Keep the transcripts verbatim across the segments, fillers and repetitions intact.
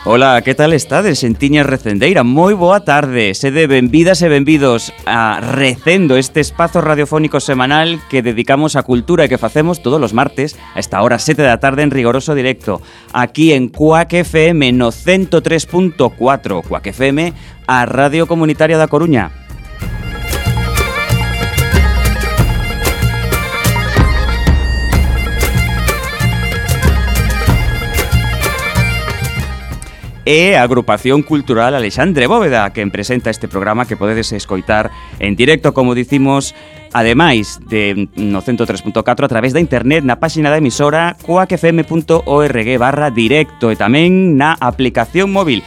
Ola, que tal estades, xentiñas recendeira? Moi boa tarde, sede benvidas e benvidos a Recendo, este espazo radiofónico semanal que dedicamos á cultura e que facemos todos os martes a esta hora sete da tarde en rigoroso directo, aquí en Cuac F M no ciento tres punto cuatro, Cuac F M, a Radio Comunitaria da Coruña. E a Agrupación Cultural Alexandre Bóveda, que presenta este programa que podedes escoitar en directo, como dicimos, ademais de no ciento tres punto catro a través da internet na páxina da emisora cuacfm.org barra directo e tamén na aplicación móvil.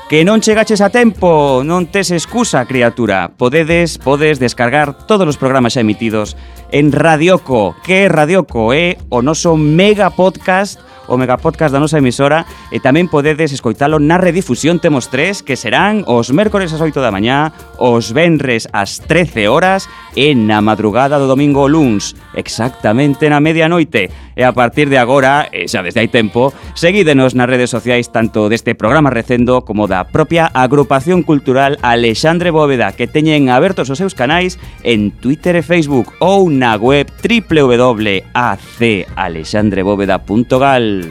Que non chegaches a tempo, non tes excusa, criatura. Podedes, podes descargar todos os programas xa emitidos en Radioco. Que é Radioco? É o noso mega podcast, o megapodcast da nosa emisora, e tamén podedes escoitalo na redifusión. Temos tres, que serán os mércores ás oito da mañá, os venres ás trece horas e na madrugada do domingo luns, exactamente na medianoite. E a partir de agora, e xa desde hai tempo, seguídenos nas redes sociais tanto deste programa Recendo como da propia Agrupación Cultural Alexandre Bóveda, que teñen abertos os seus canais en Twitter e Facebook ou na web doble u doble u doble u punto a c alexandre bóveda punto gal.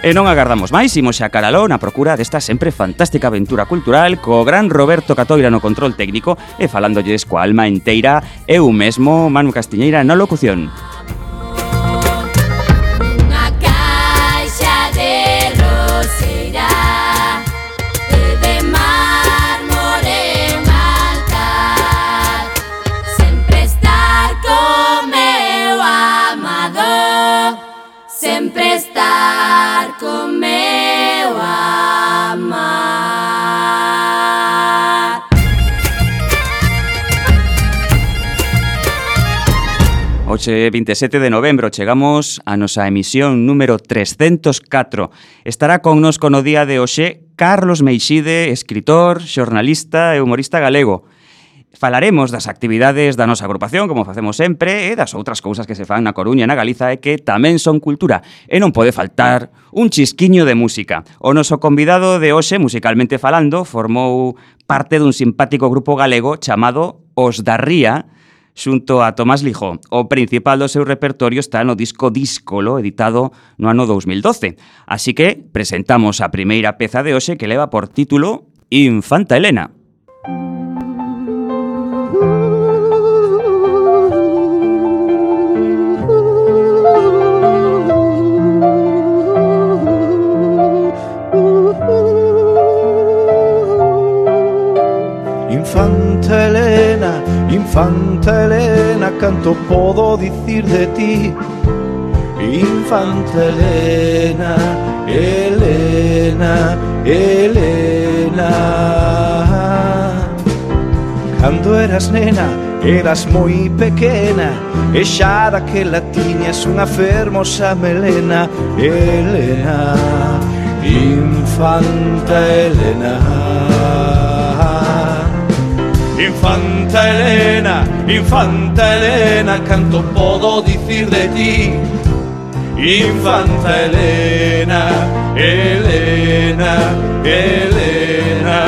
E non agardamos máis, imos xa caraló na procura desta sempre fantástica aventura cultural co gran Roberto Catoira no control técnico e falándolles coa alma enteira eu mesmo, Manu Castiñeira, na locución. Hoxe, vinte e sete de novembro, chegamos a nosa emisión número trescentos catro. Estará connosco no día de hoxe Carlos Meixide, escritor, xornalista e humorista galego. Falaremos das actividades da nosa agrupación, como facemos sempre, e das outras cousas que se fan na Coruña e na Galiza e que tamén son cultura. E non pode faltar un chisquiño de música. O noso convidado de hoxe, musicalmente falando, formou parte dun simpático grupo galego chamado Os da Ría, xunto a Tomás Lijó. O principal do seu repertorio está no disco Díscolo, editado no ano dous mil doce. Así que presentamos a primeira peza de hoxe que leva por título Infanta Elena. Infanta Elena, Infanta Elena, canto podo dicir de ti. Infanta Elena, Elena, Elena. Cando eras nena, eras moi pequena, e xa daquela tiñas unha fermosa melena. Elena, Infanta Elena. Infanta Elena, Infanta Elena, canto podo dicir de ti. Infanta Elena, Elena, Elena.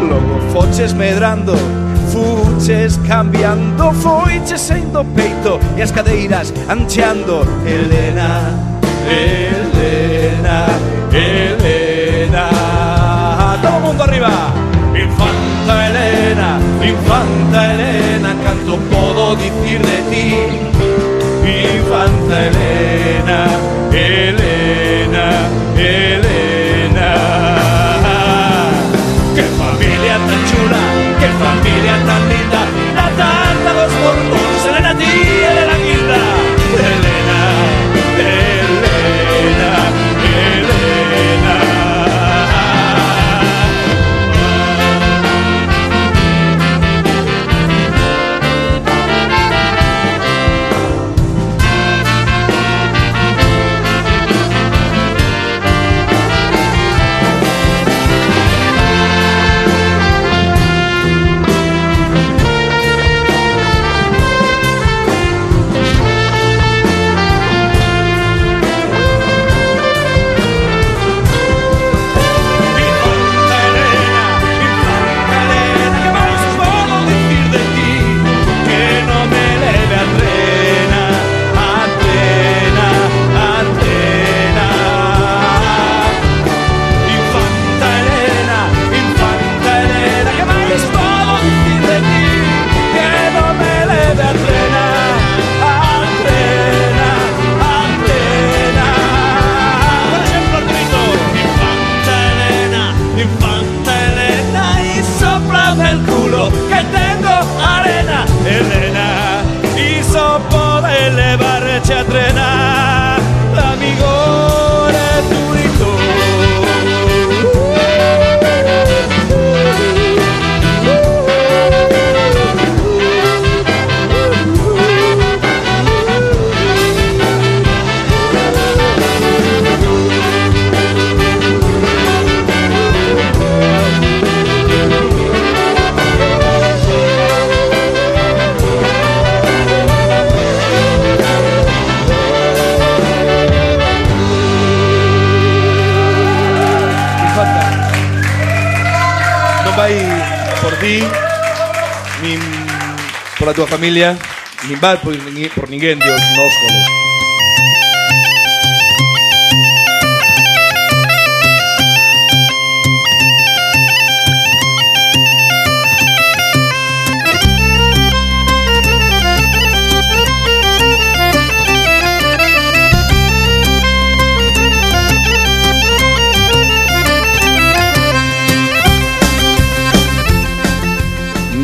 Logo foches medrando, fuches cambiando, foiches saindo peito e as cadeiras ancheando. Elena, Elena, Elena. Todo mundo arriba. Infanta Elena, Infanta Elena, canto podo dicir de ti. Infanta Elena, Elena, Elena. Que familia tan chula, que familia tan linda, la tanta dos portos, Elena tía de la guinda. Elena, Elena, Elena. pola tua familia, nin vai por, por ninguén, Dios, nóscolos.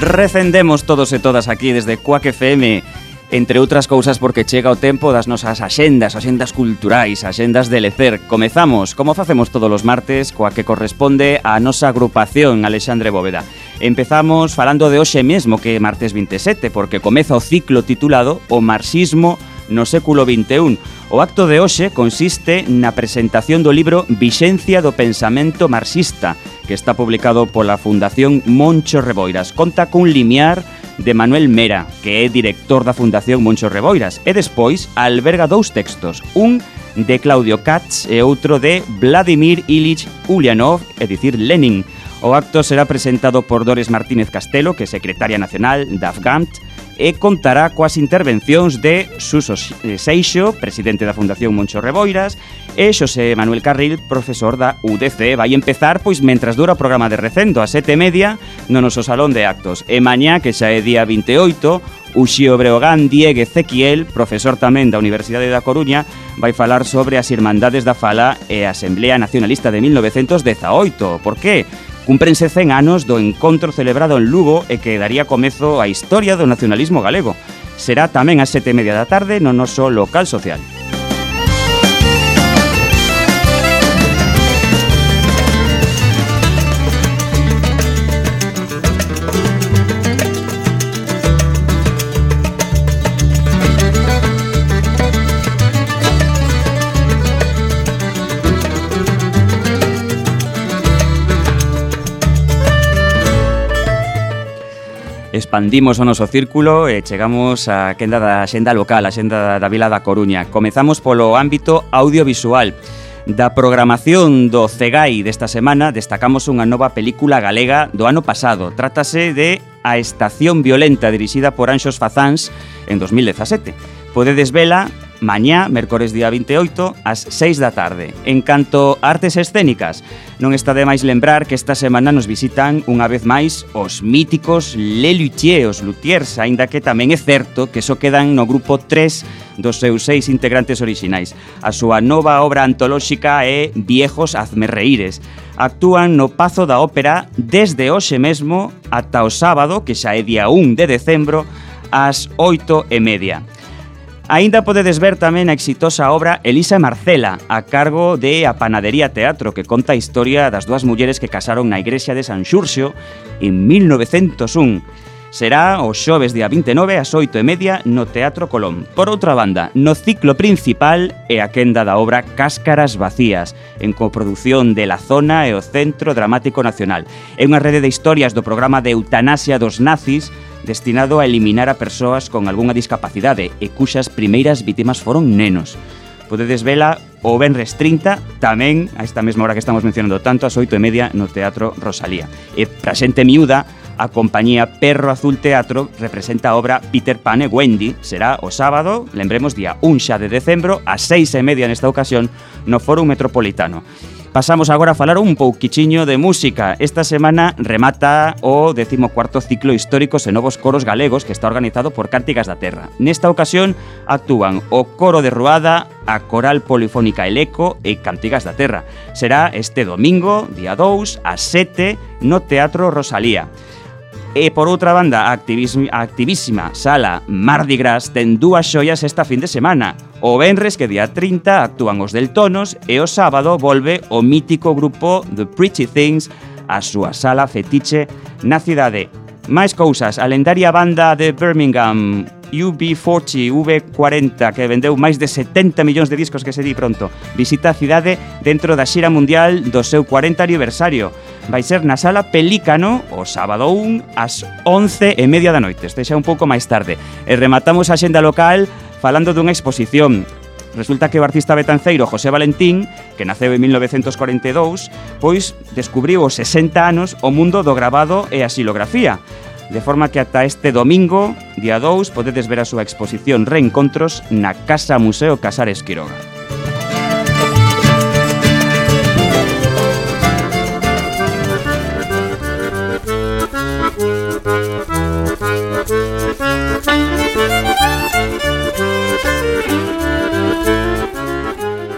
Recendemos todos e todas aquí desde Quack F M, entre outras cousas porque chega o tempo das nosas axendas, axendas culturais, axendas de lecer. Comezamos, como facemos todos os martes, coa que corresponde á nosa agrupación Alexandre Bóveda. Empezamos falando de hoxe mesmo, que é martes vinte e sete, porque comeza o ciclo titulado O marxismo no século vinte e un. O acto de hoxe consiste na presentación do libro Vixencia do pensamento marxista, que está publicado pola Fundación Moncho Reboiras. Conta cun limiar de Manuel Mera, que é director da Fundación Moncho Reboiras, e despois alberga dous textos, un de Claudio Katz e outro de Vladimir Ilich Ulyanov, é dicir, Lenin. O acto será presentado por Dores Martínez Castelo, que é secretaria nacional da Afgant, e contará coas intervencións de Suso Seixo, presidente da Fundación Moncho Reboiras, e Xosé Manuel Carril, profesor da U D C. Vai empezar, pois, mentras dura o programa de recendo, a sete e media, no noso salón de actos. E mañá, que xa é día vinte e oito, Uxío Breogán Diego Ezequiel, profesor tamén da Universidade da Coruña, vai falar sobre as Irmandades da Fala e a Asamblea Nacionalista de mil novecentos dezaoito. Por que? Cúmprense cen anos do encontro celebrado en Lugo e que daría comezo á historia do nacionalismo galego. Será tamén ás sete e media da tarde no noso local social. Expandimos o noso círculo e chegamos á quenda da xenda local, a xenda da Vila da Coruña. Comezamos polo ámbito audiovisual. Da programación do Cegai desta semana destacamos unha nova película galega do ano pasado. Trátase de A Estación Violenta, dirixida por Anxos Fazáns en dos mil dezasete. Podedes vela mañá, mércores día vinte e oito, ás seis da tarde. En canto a artes escénicas, non está de máis lembrar que esta semana nos visitan unha vez máis os míticos Les Luthiers, os Luthiers, aínda que tamén é certo que só quedan no grupo tres dos seus seis integrantes orixinais. A súa nova obra antolóxica é Viejos Hazmerreíres. Actúan no Pazo da Ópera desde hoxe mesmo ata o sábado, que xa é día un de decembro, ás oito e media. Aínda podedes ver tamén a exitosa obra Elisa e Marcela, a cargo de A Panadería Teatro, que conta a historia das dúas mulleres que casaron na igrexa de San Xurxo en mil novecentos un. Será o xoves día vinte e nove ás oito e media no Teatro Colón. Por outra banda, no ciclo principal é a quenda da obra Cáscaras Vacías, en coproducción de La Zona e o Centro Dramático Nacional. É unha rede de historias do programa de eutanasia dos nazis destinado a eliminar a persoas con algunha discapacidade e cuxas primeiras vítimas foron nenos. Podedes vela o venres trinta, tamén a esta mesma hora que estamos mencionando tanto, ás oito e media no Teatro Rosalía. E pra xente miúda, a compañía Perro Azul Teatro representa a obra Peter Pan e Wendy. Será o sábado, lembremos, día un xa de decembro, ás seis e media nesta ocasión, no Fórum Metropolitano. Pasamos agora a falar un pouquichiño de música. Esta semana remata o decimocuarto ciclo Históricos e Novos Coros Galegos, que está organizado por Cántigas da Terra. Nesta ocasión actúan o Coro de Ruada, a Coral Polifónica El Eco e Cántigas da Terra. Será este domingo, día dous, ás sete, no Teatro Rosalía. E por outra banda, a activísima sala Mardi Gras ten dúas xoias esta fin de semana. O venres, que día trinta, actúan os Deltonos, e o sábado volve o mítico grupo The Pretty Things a súa sala fetiche na cidade. Máis cousas, a lendaria banda de Birmingham, U B cuarenta, V cuarenta, que vendeu máis de setenta millóns de discos, que se di pronto, visita a cidade dentro da xira mundial do seu cuarenta aniversario. Vai ser na sala Pelícano o sábado un ás once e media da noite, este xa un pouco máis tarde. E rematamos a xenda local falando dunha exposición. Resulta que o artista betanceiro José Valentín, que naceu en mil novecentos cuarenta e dous, pois descubriu aos sesenta anos o mundo do gravado e a xilografía. de forma que ata este domingo, día dous, podedes ver a súa exposición Reencontros na Casa Museo Casares Quiroga.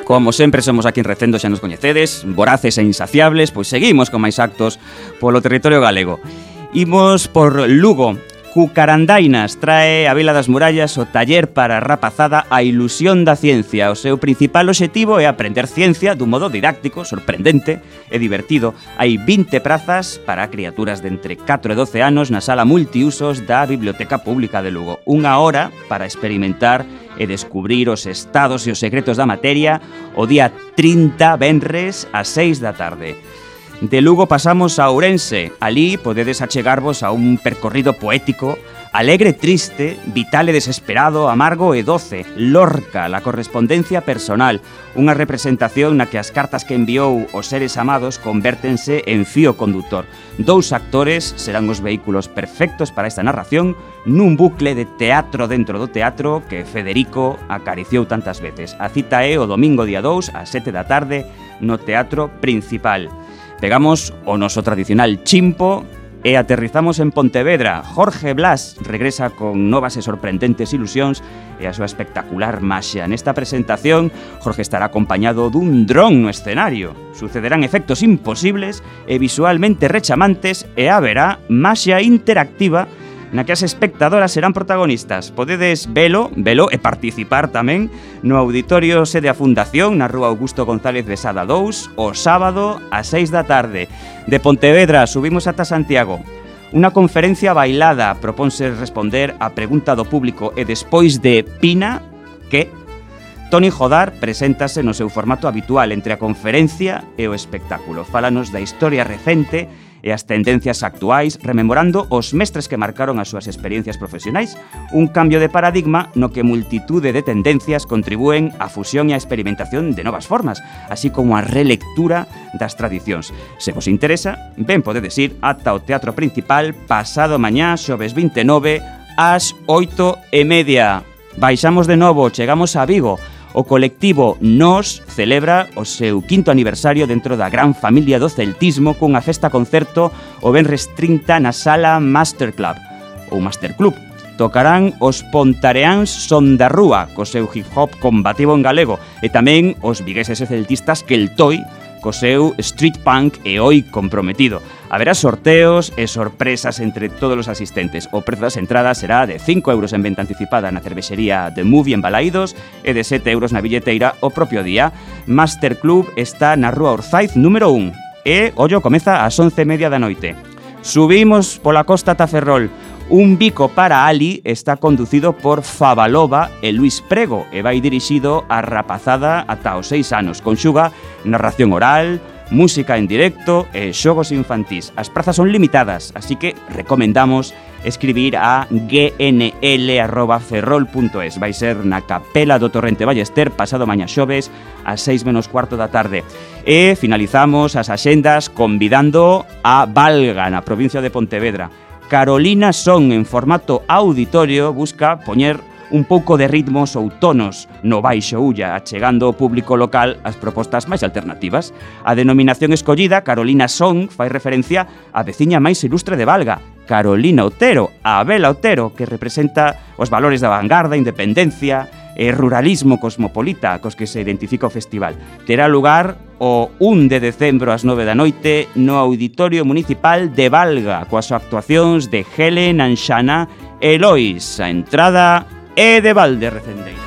Como sempre somos aquí en Recendo, xa nos coñecedes, voraces e insaciables, pois seguimos con máis actos polo territorio galego. Imos por Lugo. Cucarandainas trae a Vila das Murallas o taller para a rapazada A Ilusión da Ciencia. O seu principal obxectivo é aprender ciencia dun modo didáctico, sorprendente e divertido. Hai vinte prazas para criaturas de entre catro e doce anos na sala multiusos da Biblioteca Pública de Lugo. Unha hora para experimentar e descubrir os estados e os secretos da materia o día trinta, venres, ás seis da tarde. De Lugo pasamos a Ourense. Alí podedes achegarvos a un percorrido poético, alegre, triste, vital e desesperado, amargo e doce. Lorca, la correspondencia personal, unha representación na que as cartas que enviou os seres amados convértense en fío conductor. Dous actores serán os vehículos perfectos para esta narración nun bucle de teatro dentro do teatro que Federico acariciou tantas veces. A cita é o domingo día dous, ás sete da tarde, no Teatro Principal. Pegamos o noso tradicional chimpo e aterrizamos en Pontevedra. Jorge Blas regresa con novas e sorprendentes ilusións e a súa espectacular maxia. Nesta presentación, Jorge estará acompañado dun dron no escenario. Sucederán efectos imposibles e visualmente rechamantes e haberá maxia interactiva na que as espectadoras serán protagonistas. Podedes velo, velo e participar tamén no Auditorio Sede a Fundación na Rúa Augusto González Besada dous o sábado ás seis da tarde. De Pontevedra subimos ata Santiago. Unha conferencia bailada propónse responder á pregunta do público e despois de Pina, que? Toni Jodar preséntase no seu formato habitual entre a conferencia e o espectáculo. Fálanos da historia recente e as tendencias actuais, rememorando os mestres que marcaron as súas experiencias profesionais, un cambio de paradigma no que multitude de tendencias contribúen á fusión e á experimentación de novas formas, así como a relectura das tradicións. Se vos interesa, ben podedes ir ata o Teatro Principal pasado mañá, xoves vinte e nove, ás oito e media. Baixamos de novo, chegamos a Vigo. O colectivo Nos celebra o seu quinto aniversario dentro da gran familia do celtismo cunha festa concerto o venres trinta na sala Master Club, ou Master Club. Tocarán os pontareáns Son da Rúa, co seu hip-hop combativo en galego, e tamén os vigueses e celtistas Keltoi, co seu street punk e oi comprometido. Haberá sorteos e sorpresas entre todos os asistentes. O prezo das entradas será de cinco euros en venta anticipada na cervexería The Movie en Balaídos e de sete euros na billeteira o propio día. Master Club está na Rúa Orzaiz número un e, ollo, comeza ás once e media da noite. Subimos pola costa ata Ferrol. Un bico para Ali está conducido por Favalova e Luis Prego e vai dirixido á rapazada ata os seis anos. Conxuga narración oral, música en directo e xogos infantís. As prazas son limitadas, así que recomendamos escribir a g n l arroba ferrol punto es. Vai ser na Capela do Torrente Ballester pasado mañá xoves ás seis menos cuarto da tarde. E finalizamos as axendas convidando a Valga, na provincia de Pontevedra. Carolina Son, en formato auditorio, busca poñer un pouco de ritmos ou tonos no baixo ulla, achegando ao público local as propostas máis alternativas. A denominación escollida, Carolina Son, fai referencia á veciña máis ilustre de Valga, Carolina Otero, a Abela Otero, que representa os valores da vanguarda, independencia e ruralismo cosmopolita cos que se identifica o festival. Terá lugar o un de decembro ás nove da noite no Auditorio Municipal de Valga, coas actuacións de Helen, Anxana e Lois. A entrada é de balde, recendeira.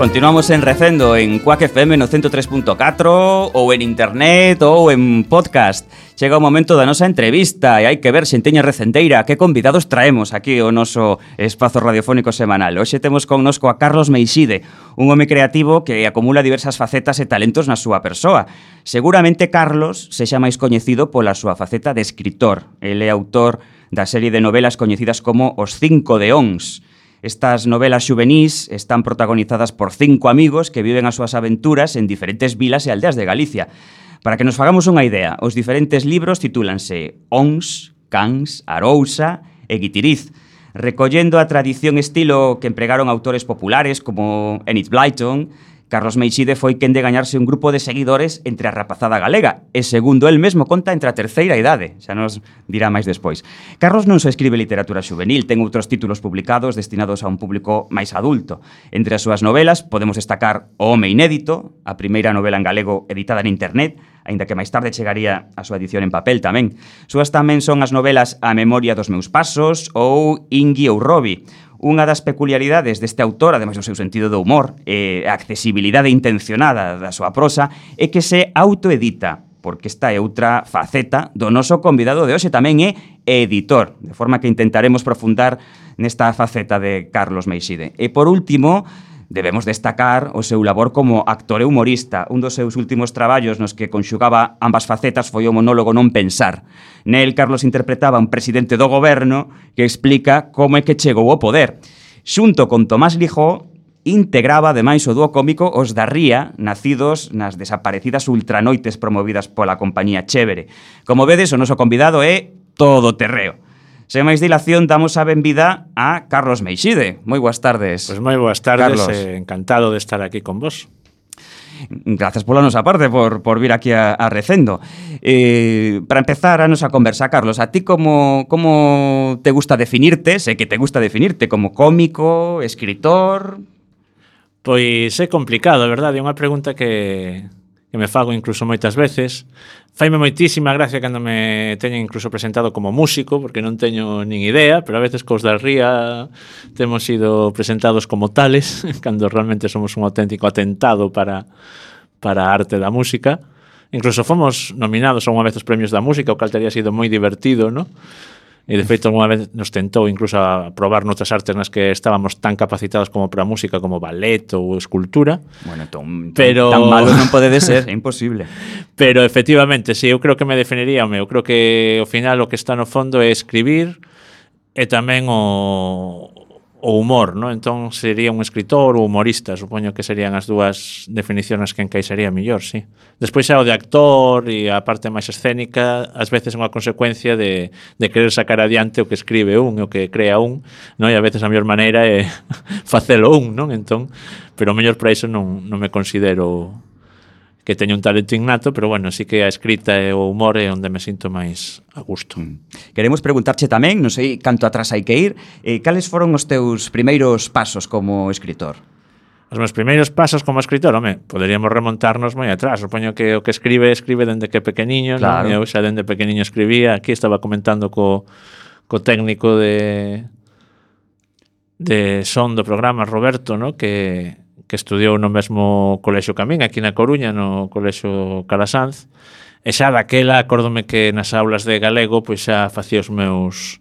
Continuamos en Recendo en Quack F M no ciento tres punto catro ou en internet ou en podcast. Chega o momento da nosa entrevista e hai que ver, xenteña recendeira, que convidados traemos aquí ao noso espazo radiofónico semanal. Hoxe temos connosco a Carlos Meixide, un home creativo que acumula diversas facetas e talentos na súa persoa. Seguramente Carlos sexa máis coñecido pola súa faceta de escritor. Ele é autor da serie de novelas coñecidas como Os Cinco Deóns. Estas novelas xuvenís están protagonizadas por cinco amigos que viven as súas aventuras en diferentes vilas e aldeas de Galicia. Para que nos fagamos unha idea, os diferentes libros titúlanse Ons, Cans, Arousa e Guitiriz, recollendo a tradición estilo que empregaron autores populares como Enid Blyton. Carlos Meixide foi quen de gañarse un grupo de seguidores entre a rapazada galega e, segundo el mesmo, conta entre a terceira idade. Xa nos dirá máis despois. Carlos non só escribe literatura xuvenil, ten outros títulos publicados destinados a un público máis adulto. Entre as súas novelas podemos destacar O Home Inédito, a primeira novela en galego editada en internet, aínda que máis tarde chegaría a súa edición en papel tamén. Súas tamén son as novelas A Memoria dos meus pasos ou Ingui ou Robi. Unha das peculiaridades deste autor, ademais do seu sentido do humor e a accesibilidade intencionada da súa prosa, é que se autoedita, porque esta é outra faceta do noso convidado de hoxe, tamén é editor, de forma que intentaremos profundar nesta faceta de Carlos Meixide. E por último, debemos destacar o seu labor como actor e humorista. Un dos seus últimos traballos nos que conxugaba ambas facetas foi o monólogo Non Pensar. Nel, Carlos interpretaba un presidente do goberno que explica como é que chegou ao poder. Xunto con Tomás Lijó, integraba ademais o dúo cómico Os da Ría, nacidos nas desaparecidas ultranoites promovidas pola compañía Chévere. Como vedes, o noso convidado é todo terreo. Sen máis dilación, damos a benvida a Carlos Meixide. Moi boas tardes. Pois moi boas tardes, eh, encantado de estar aquí con vos. Grazas pola nosa parte por, por vir aquí a, a Recendo. Eh, para empezar a nosa conversa, Carlos, a ti como, como te gusta definirte? Sé que te gusta definirte como cómico, escritor... Pois é complicado, verdade? É unha pregunta que, que me fago incluso moitas veces. Faime moitísima gracia cando me teñen incluso presentado como músico, porque non teño nin idea, pero a veces cos da Ría temos sido presentados como tales, cando realmente somos un auténtico atentado para, para a arte da música. Incluso fomos nominados a unha vez os premios da música, o cal teria sido moi divertido, ¿no? E, de feito, alguna vez nos tentou incluso a probar noutras artes nas que estábamos tan capacitados como para a música, como ballet ou escultura. Bueno, ton, pero... tan malo non pode de ser, é imposible. Pero, efectivamente, sí, eu creo que me definiría, eu creo que, ao final, o que está no fondo é escribir e tamén o, o humor, ¿no? Entón, sería un escritor ou humorista, supoño que serían as dúas definicións que encaixaría mellor, sí. Despois xa o de actor e a parte máis escénica, ás veces é unha consecuencia de, de querer sacar adiante o que escribe un, o que crea un, non? E a veces a mellor maneira é facelo un, non? Entón, pero mellor para iso non, non me considero que teño un talento innato, pero bueno, sí que a escrita e o humor é onde me sinto máis a gusto. Mm. Queremos preguntarche tamén, non sei canto atrás hai que ir, eh, cales foron os teus primeiros pasos como escritor? Os meus primeiros pasos como escritor, home, poderíamos remontarnos moi atrás. Supoño que o que escribe, escribe dende que pequeniño, claro. Non? Eu xa dende pequeniño escribía. Aquí estaba comentando co, co técnico de de son do programa, Roberto, ¿no? que, que estudiou no mesmo colexio que a min, aquí na Coruña, no colexio Calasanz. E xa daquela, acórdome que nas aulas de galego pois xa facía os meus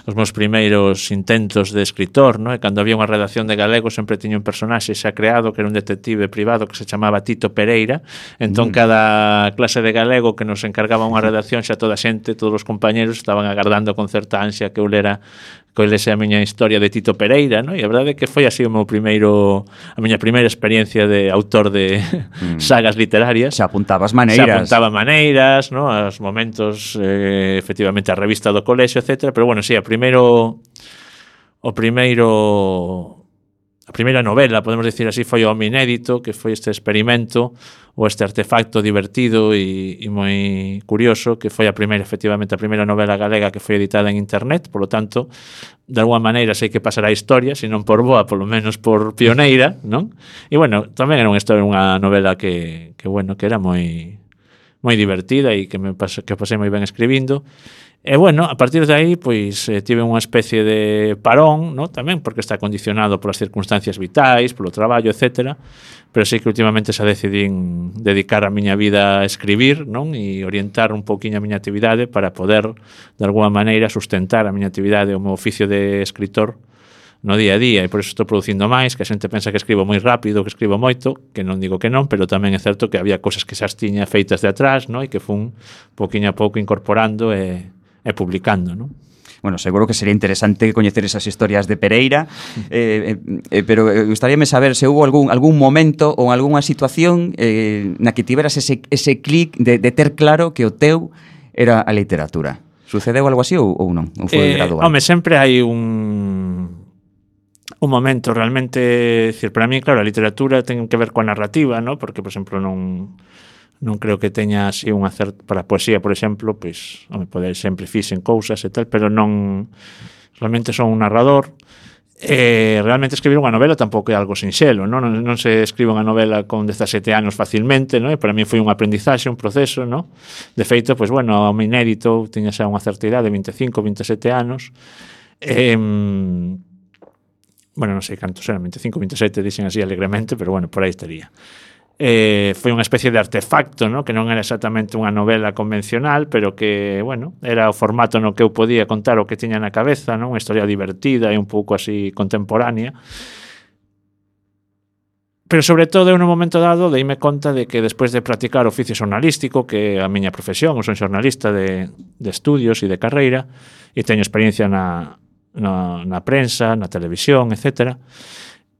os meus primeiros intentos de escritor, ¿no? E cando había unha redacción de galego sempre tiña un personaxe xa creado que era un detective privado que se chamaba Tito Pereira. Entón, mm. cada clase de galego que nos encargaba unha redacción, xa toda a xente, todos os compañeros estaban agardando con certa ansia que eu lera que eu lese a miña historia de Tito Pereira, ¿no? E a verdade é que foi así o meu primeiro a miña primeira experiencia de autor de mm. sagas literarias. Xa apuntabas maneiras. Xa apuntaba maneiras, ¿no? Aos momentos, eh, efectivamente, a revista do colexio, etcétera. Pero bueno, sí, a primeiro o primeiro a primeira novela, podemos dicir así, foi O Home Inédito, que foi este experimento ou este artefacto divertido e, e moi curioso, que foi a primeira, efectivamente, a primeira novela galega que foi editada en internet. Por lo tanto, de alguma maneira sei que pasará a historia, se non por boa, polo menos por pioneira, non? E bueno, tamén era unha historia, unha novela que, que bueno, que era moi moi divertida e que me pasei, que pasei moi ben escribindo. E, bueno, a partir de aí, pois, eh, tive unha especie de parón, ¿no? Tamén porque está condicionado polas circunstancias vitais, polo traballo, etcétera, pero sí que últimamente xa decidín dedicar a miña vida a escribir, non? E orientar un pouquiño a miña actividade para poder, de alguma maneira, sustentar a miña actividade, o meu oficio de escritor no día a día, e por iso estou producindo máis, que a xente pensa que escribo moi rápido, que escribo moito, que non digo que non, pero tamén é certo que había cosas que xa as tiña feitas de atrás, ¿no? E que fun pouquiño a pouco incorporando e e publicando, non? Bueno, seguro que sería interesante coñecer esas historias de Pereira, eh, eh, pero gustaríame saber se houve algún, algún momento ou algunha situación eh, na que tiveras ese, ese clic de, de ter claro que o teu era a literatura. Sucedeu algo así ou, ou non? Ou foi eh, gradual? Home, sempre hai un un momento realmente, decir, para mí, claro, a literatura ten que ver coa narrativa, ¿no? Porque, por exemplo, non non creo que teña así un acerto para a poesía, por exemplo, pois, home, poder sempre fixen cousas e tal, pero non realmente son un narrador. Eh, realmente escribir unha novela tampouco é algo sinxelo, non, non, non se escribe unha novela con dezasete anos facilmente, non? E para mí foi un aprendizaxe, un proceso, non? De feito, pois, bueno, ao me inédito tiña xa unha certa idade, vinte e cinco, vinte e sete anos. Eh, bueno, non sei cantos eran, vinte e cinco, vinte e sete, dixen así alegremente, pero bueno, por aí estaría. Eh, foi unha especie de artefacto, ¿no? Que non era exactamente unha novela convencional, pero que, bueno, era o formato no que eu podía contar o que tiña na cabeza, ¿no? Unha historia divertida e un pouco así contemporánea. Pero sobre todo, eu no momento dado deime conta de que despois de practicar oficio xornalístico, que é a miña profesión, eu son xornalista de, de estudios e de carreira, e teño experiencia na, na, na prensa, na televisión, etcétera.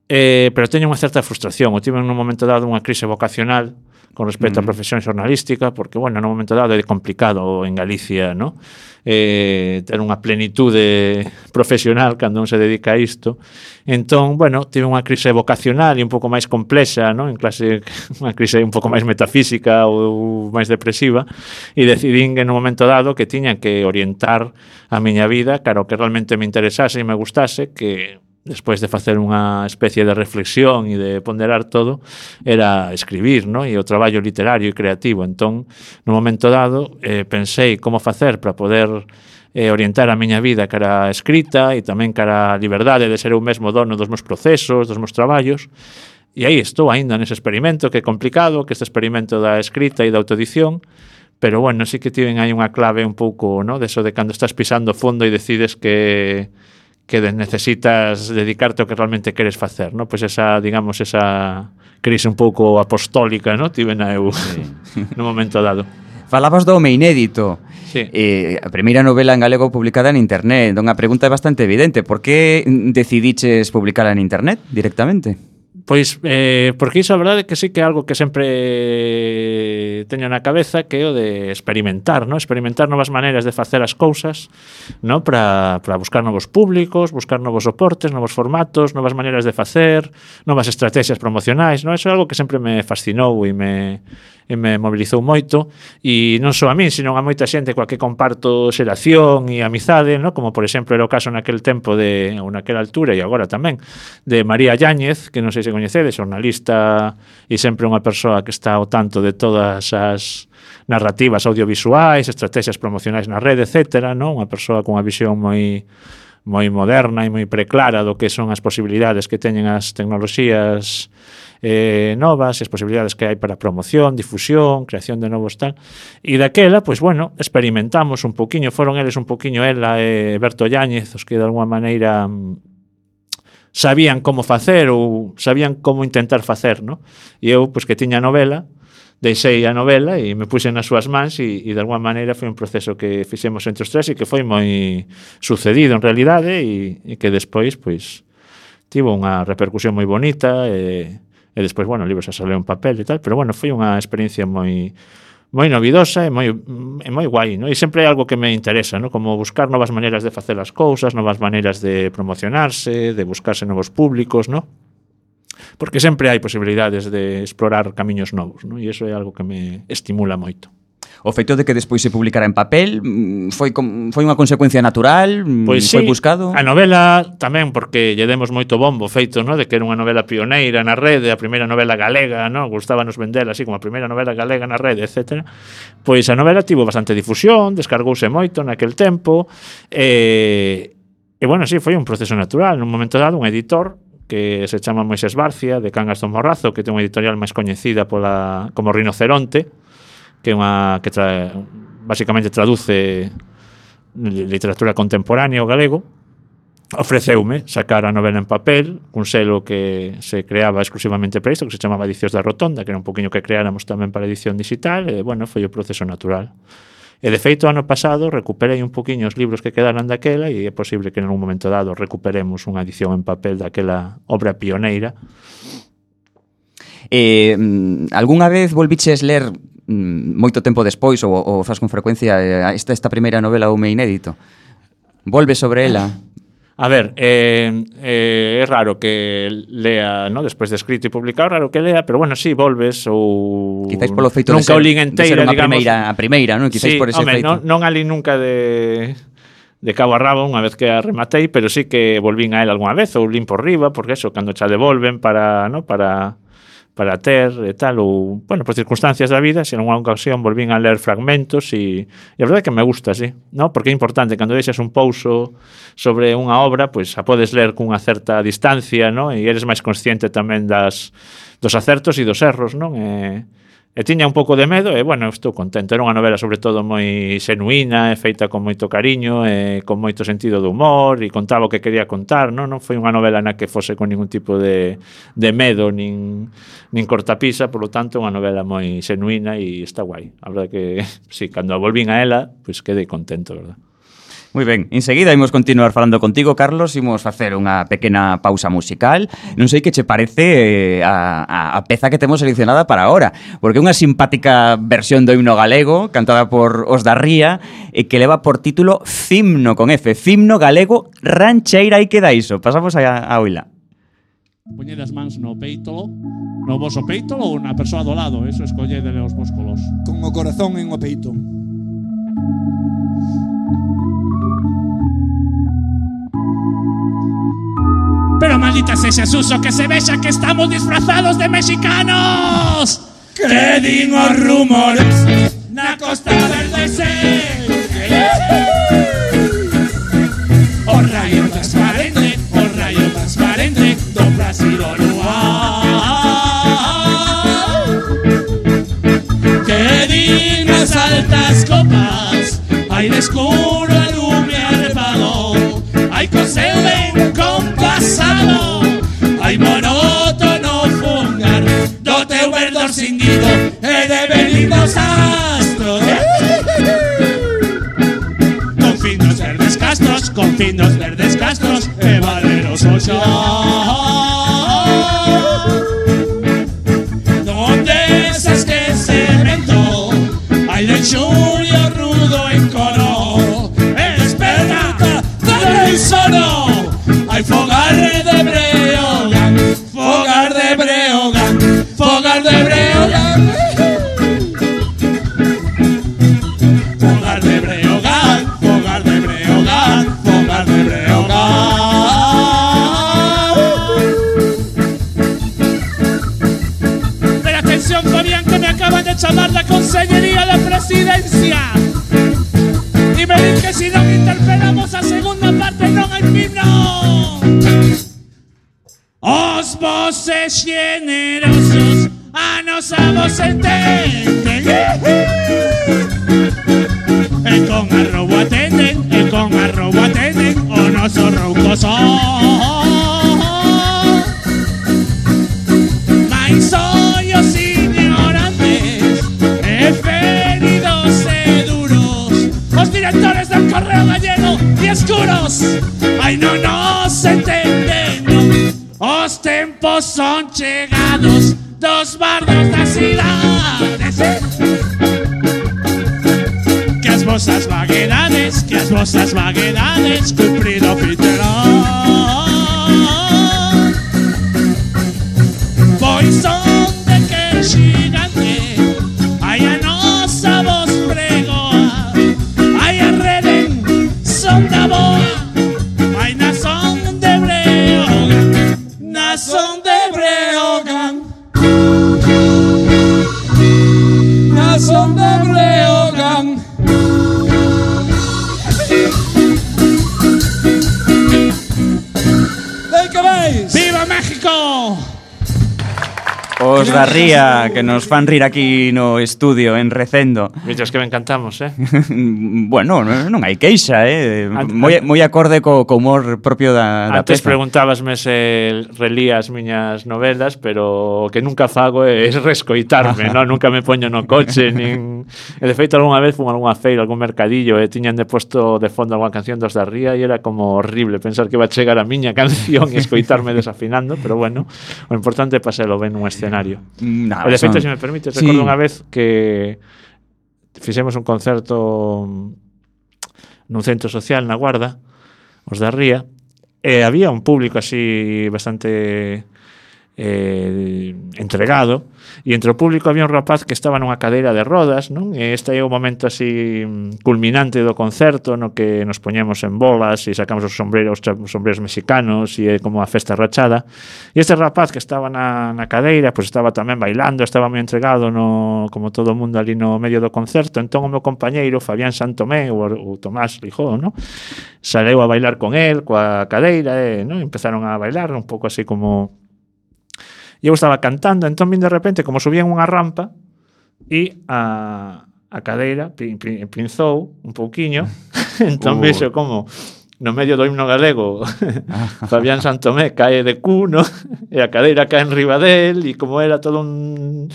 Eh, pero teño unha certa frustración. Eu tive nun momento dado unha crise vocacional con respecto á profesión xornalística, porque, bueno, nun momento dado é complicado en Galicia, ¿no? Eh, ter unha plenitude profesional cando un se dedica a isto. Entón, bueno, tive unha crise vocacional e un pouco máis complexa, ¿no? En clase, unha crise un pouco máis metafísica ou máis depresiva, e decidín que nun momento dado que tiña que orientar a miña vida cara ao que realmente me interesase e me gustase, que despois de facer unha especie de reflexión e de ponderar todo, era escribir, ¿no? E o traballo literario e creativo. Entón, no momento dado, eh, pensei como facer para poder eh, orientar a miña vida cara a escrita e tamén cara a liberdade de ser eu mesmo dono dos meus procesos, dos meus traballos. E aí estou aínda nese experimento, que é complicado, que este experimento da escrita e da autoedición, pero, bueno, sí que tiven aí unha clave un pouco, ¿no? De eso de cando estás pisando fondo e decides que que necesitas dedicarte ao que realmente queres facer, ¿no? Pois esa, digamos, esa crise un pouco apostólica, ¿no? Tivena eu sí. No momento dado. Falabas do Home Inédito. Sí. Eh, a primeira novela en galego publicada en internet. Unha pregunta é bastante evidente. Por que decidiches publicala en internet directamente? Pois, eh, porque iso a verdade que sí que é algo que sempre teño na cabeza, que é o de experimentar, ¿no? Experimentar novas maneiras de facer as cousas, ¿no? Para, para buscar novos públicos, buscar novos soportes, novos formatos, novas maneiras de facer, novas estrategias promocionais, ¿no? Eso é algo que sempre me fascinou e me, e me mobilizou moito, e non só a min, sino a moita xente coa que comparto xeración e amizade, ¿no? Como por exemplo era o caso naquel tempo de, ou naquela altura e agora tamén, de María Yáñez, que non sei se coñecedes, xornalista e sempre unha persoa que está ao tanto de todas as narrativas audiovisuais, estrategias promocionais na rede, etcétera, ¿no? Unha persoa con unha visión moi moi moderna e moi preclara do que son as posibilidades que teñen as tecnoloxías eh, novas, as posibilidades que hai para promoción, difusión, creación de novos tal. E daquela, pois bueno, experimentamos un poquinho, foron eles un poquinho ela e Berto Yáñez, os que de alguma maneira sabían como facer ou sabían como intentar facer, ¿no? E eu, pois que tiña a novela, deixei a novela e me puxen nas súas mans e, e de alguma maneira foi un proceso que fixemos entre os tres e que foi moi sucedido en realidade e, e que despois, pois, tivo unha repercusión moi bonita e, e despois, bueno, o libro xa saleu en papel e tal, pero bueno, foi unha experiencia moi moi novidosa e moi, e moi guai, ¿no? E sempre é algo que me interesa, ¿no? Como buscar novas maneiras de facer as cousas, novas maneiras de promocionarse, de buscarse novos públicos, ¿no? Porque sempre hai posibilidades de explorar camiños novos, ¿no? E iso é algo que me estimula moito. O feito de que despois se publicara en papel foi com, foi unha consecuencia natural, pois foi sí, buscado. A novela tamén porque lle demos moito bombo feito, no, de que era unha novela pioneira na rede, a primeira novela galega, no, gustábanos vendela así como a primeira novela galega na rede, etcétera. Pois a novela tivo bastante difusión, descargouse moito naquel tempo, e e bueno, sí, foi un proceso natural. Nun momento dado, un editor que se chama Moisés Barcia, de Cangas do Morrazo, que ten unha editorial máis coñecida pola como Rinoceronte, que é unha que tra, basicamente traduce literatura contemporánea ao galego, ofreceume sacar a novela en papel, un selo que se creaba exclusivamente para isto, que se chamaba Edicións da Rotonda, que era un poquinho que creáramos tamén para edición digital, e, bueno, foi o proceso natural. E, de feito, ano pasado recuperei un poquinho os libros que quedaran daquela e é posible que en un momento dado recuperemos unha edición en papel daquela obra pioneira. Eh, algunha vez volviches ler moito tempo despois ou, ou faz con frecuencia esta, esta primeira novela Home Inédito? Volve sobre ela? A ver, eh, eh, é raro que lea, ¿no? Despois de escrito e publicado, raro que lea, pero bueno, sí, volves ou... Quizáis polo feito de nunca ser, o lín enteira, de ser unha digamos. primeira, a primeira, non? Quizáis Sí, por ese home, feito. non, non a lín nunca de... de cabo a rabo unha vez que a rematei, pero sí que volvín a él algunha vez ou lín por riba, porque eso, cando xa devolven para, ¿no? para para ter e tal, ou, bueno, por circunstancias da vida, se en unha ocasión volvín a ler fragmentos e, e a verdade é que me gusta, sí, ¿no? Porque é importante, cando deixas un pouso sobre unha obra, pois pues, a podes ler cunha certa distancia, ¿no? E eres máis consciente tamén das, dos acertos e dos erros, non? E, E tiña un pouco de medo e, bueno, estou contento. Era unha novela, sobre todo, moi xenuína, e feita con moito cariño, e con moito sentido de humor, e contaba o que quería contar, non? Non foi unha novela na que fose con ningún tipo de, de medo, nin, nin cortapisa, por lo tanto, unha novela moi xenuína e está guai. A verdade que, sí, cando a volvín a ela, pois pues, quedei contento, verdad? Moi ben, enseguida imos continuar falando contigo, Carlos, imos facer unha pequena pausa musical. Non sei que che parece eh, a, a, a peza que temos seleccionada para ahora, porque é unha simpática versión do himno galego cantada por Os da Ría e que leva por título Cimno con F, Cimno galego rancheira e queda iso. Pasamos a, a oila. Poñede as mans no peito, no voso peito ou na persoa do lado, eso escolledele os músculos. Con o corazón en o peito. Pero maldita sexa Suso, que se vexa que estamos disfrazados de mexicanos. Que din os rumores na Costa Verde se o rayo transparente, o rayo transparente do Brasil o luar. Que din as altas copas, hai de escuro e lume arpado, hai co seu ben compasado, hai monótono fungar do teu verdor cindido e de benignos astros. Con finos verdes castros, con finos verdes castros e valeroso xa. Donde esas que cemento, hai de xulio rudo en coro, esperanza del sono. Hay fogar de Breogán, fogar de Breogán, fogar de Breogán, fogar de Breogán, fogar de Breogán, fogar de Breogán. Pero atención, Fabián, que me acaban de llamar la Consellería de Presidencia y me dicen que si no interpelamos a segunda parte non hai himno. Os voces generosos a nosa voz entenden, e con arrobo atenden, e con arrobo atenden o noso rouco son. Mais ollos ignorantes e feridos e duros, os directores del Correo Gallego y escuros, ay no nos entenden, no. Os tempos son chegados dos bardos das cidades, que as vosas vaguedades, que as vosas vaguedades cumprido fiterán. Pois son de que xigante, ai a nosa voz os da Ría que nos fan rir aquí no estudio en Recendo. Mientras que me encantamos, eh? Bueno, non hai queixa, eh? Ant- Moi, moi acorde co, co humor propio da, da Antes peza. preguntábasme se relía as miñas novelas, pero o que nunca fago é rescoitarme, non? Nunca me poño no coche, nin... E de feito, algunha vez fun a algunha feira, algún mercadillo, e tiñan de posto de fondo algunha canción dos da Ría e era como horrible pensar que va a chegar a miña canción e escoitarme desafinando, pero bueno, o importante é paselo ben nun escenario. No, E de feito, son... se me permite, Sí. recordo unha vez que fixemos un concerto nun centro social na Guarda, os da Ría, e había un público así bastante eh, entregado, e entre o público había un rapaz que estaba nunha cadeira de rodas, non? E este é o momento así culminante do concerto no que nos poñemos en bolas e sacamos os sombreros, os sombreros mexicanos e é como a festa rachada. E este rapaz que estaba na, na cadeira, pois estaba tamén bailando, estaba moi entregado no, como todo o mundo ali no medio do concerto. Entón o meu compañeiro Fabián Santomé, o, o Tomás Lijó, non? Saleu a bailar con el, coa cadeira, e, non? Empezaron a bailar un pouco así como... E eu estaba cantando, entón vin de repente como subían unha rampa e a, a cadeira pin, pin, pinzou un pouquiño, entón Uh. vexo como no medio do himno galego Fabián Santomé cae de cu, no? E a cadeira cae en riba del e como era todo un,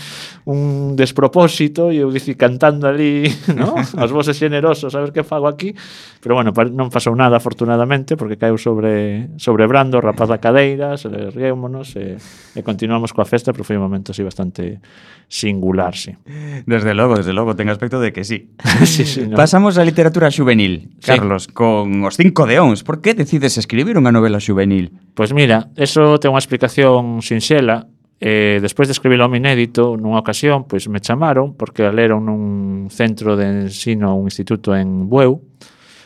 un despropósito e eu dici cantando ali, no? As voces generosos, a ver que fago aquí, pero bueno, non pasou nada afortunadamente porque caeu sobre, sobre Brando, o rapaz da cadeira, se le riémonos e, e continuamos coa festa, pero foi un momento así bastante singular, sí. Desde logo, desde logo, ten aspecto de que sí. Sí, sí, no. Pasamos á literatura xuvenil, Sí. Carlos, con os cinco de Ons. Por que decides escribir unha novela xuvenil? Pois mira, eso ten unha explicación sinxela. Eh, despois de escribir o home inédito, nunha ocasión, pois me chamaron, porque a leron nun centro de ensino, un instituto en Bueu,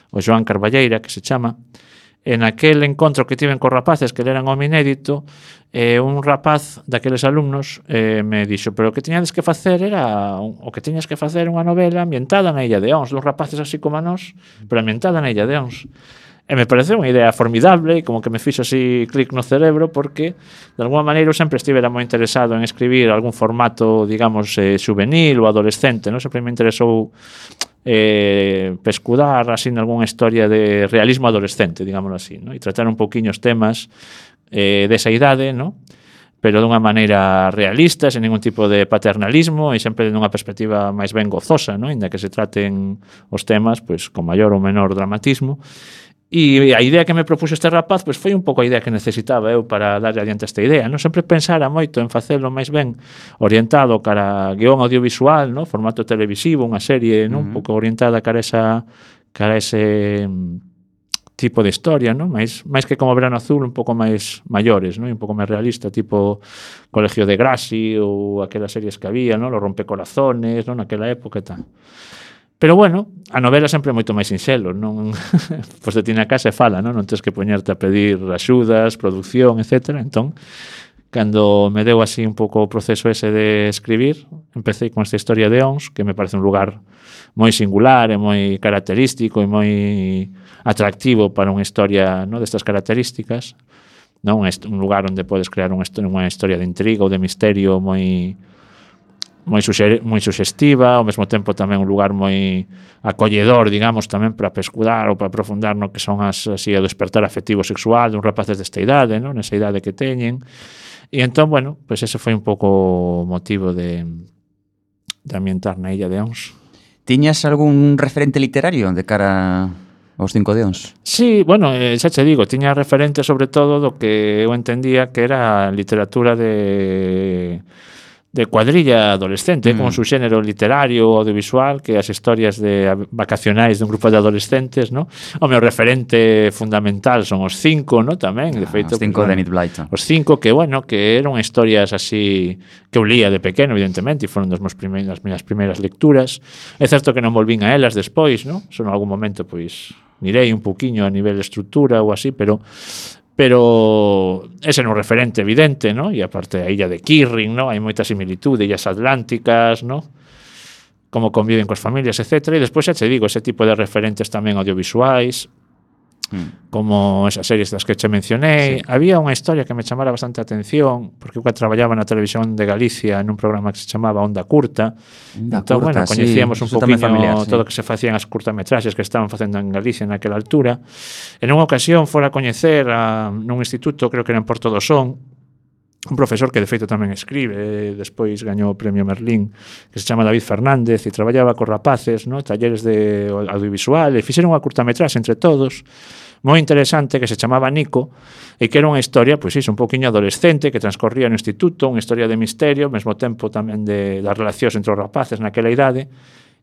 o Joan Carballeira, que se chama. En aquel encontro que tiven cos rapaces que leran o home inédito, eh, un rapaz daqueles alumnos eh, me dixo, pero o que tiñades que facer era o que tiñas que facer unha novela ambientada na Illa de Ons, dos rapaces así como a nós, pero ambientada na Illa de Ons. E me pareceu unha idea formidable, como que me fixo así clic no cerebro, porque de alguma maneira eu sempre estivera moi interesado en escribir algún formato, digamos, eh, juvenil ou adolescente, non? Sempre me interesou eh, pescudar así nalgúna historia de realismo adolescente, digámoslo así, ¿no? E tratar un pouquiño os temas eh, desa idade, ¿no? Pero dunha maneira realista, sen ningún tipo de paternalismo e sempre dunha perspectiva máis ben gozosa, ¿no? Inda que se traten os temas pois con maior ou menor dramatismo. E a idea que me propuxo este rapaz pois foi un pouco a idea que necesitaba eu para darle adiante esta idea, non? Sempre pensara moito en facelo máis ben orientado cara a guión audiovisual, non? Formato televisivo, unha serie, non? Uh -huh. Un pouco orientada cara a esa cara a ese tipo de historia, non? Mais máis que como Verano Azul, un pouco máis maiores, non? Un pouco máis realista, tipo Colegio de Grassi ou aquelas series que había, non? Los Rompecorazones, non? Naquela época e tal. Pero bueno, a novela sempre é moito máis sinxelo, non? Pois te tiene a casa e fala, non? Non tens que poñerte a pedir axudas, producción, etcétera. Entón, cando me deu así un pouco o proceso ese de escribir, empecé con esta historia de Ons, que me parece un lugar moi singular e moi característico e moi atractivo para unha historia, non, destas características, non? Un lugar onde podes crear unha historia de intriga ou de misterio moi moi, suxe, moi suxestiva, ao mesmo tempo tamén un lugar moi acolledor, digamos, tamén para pescudar ou para aprofundar no que son as, así, o despertar afectivo sexual de un rapaces desta idade, non? Nesa idade que teñen. E entón, bueno, pois pues ese foi un pouco o motivo de, de ambientar na Illa de Ons. Tiñas algún referente literario de cara aos cinco de Ons? Sí, bueno, eh, xa che digo, tiña referente sobre todo do que eu entendía que era literatura de... de cuadrilla adolescente, mm. como su xénero literario ou audiovisual, que as historias de vacacionais dun grupo de adolescentes, ¿no? O meu referente fundamental son os cinco, ¿no? Tamén, de feito, os cinco pues, de Enid Blyton. Os cinco que, bueno, que eran historias así que eu lía de pequeno, evidentemente, e foron das meus primeiras, das minhas primeiras lecturas. É certo que non volvín a elas despois, ¿no? Son en algún momento, pois, mirei un poquinho a nivel de estrutura ou así, pero pero ese é un referente evidente, ¿no? E aparte a illa de Kirrin, ¿no? Hai moita similitude, illas atlánticas, ¿no? Como conviven coas familias, etcétera. E despois xa te digo, ese tipo de referentes tamén audiovisuais, mm. como esas series das que che mencionei. Sí. Había unha historia que me chamara bastante a atención, porque eu traballaba na televisión de Galicia nun programa que se chamaba Onda Curta. Onda entón, Curta, bueno, coñecíamos sí. un poquinho familiar, todo o sí. que se facían as curtametraxes que estaban facendo en Galicia naquela altura. En unha ocasión fora a coñecer a, nun instituto, creo que era en Porto do Son, un profesor que de feito tamén escribe, despois gañou o premio Merlín, que se chama David Fernández, e traballaba cos rapaces, no, talleres de audiovisual, e fixeron unha curtametraxe entre todos, moi interesante, que se chamaba Nico, e que era unha historia, pois iso, un poquinho adolescente, que transcorría no instituto, unha historia de misterio, ao mesmo tempo tamén de das relacións entre os rapaces naquela idade,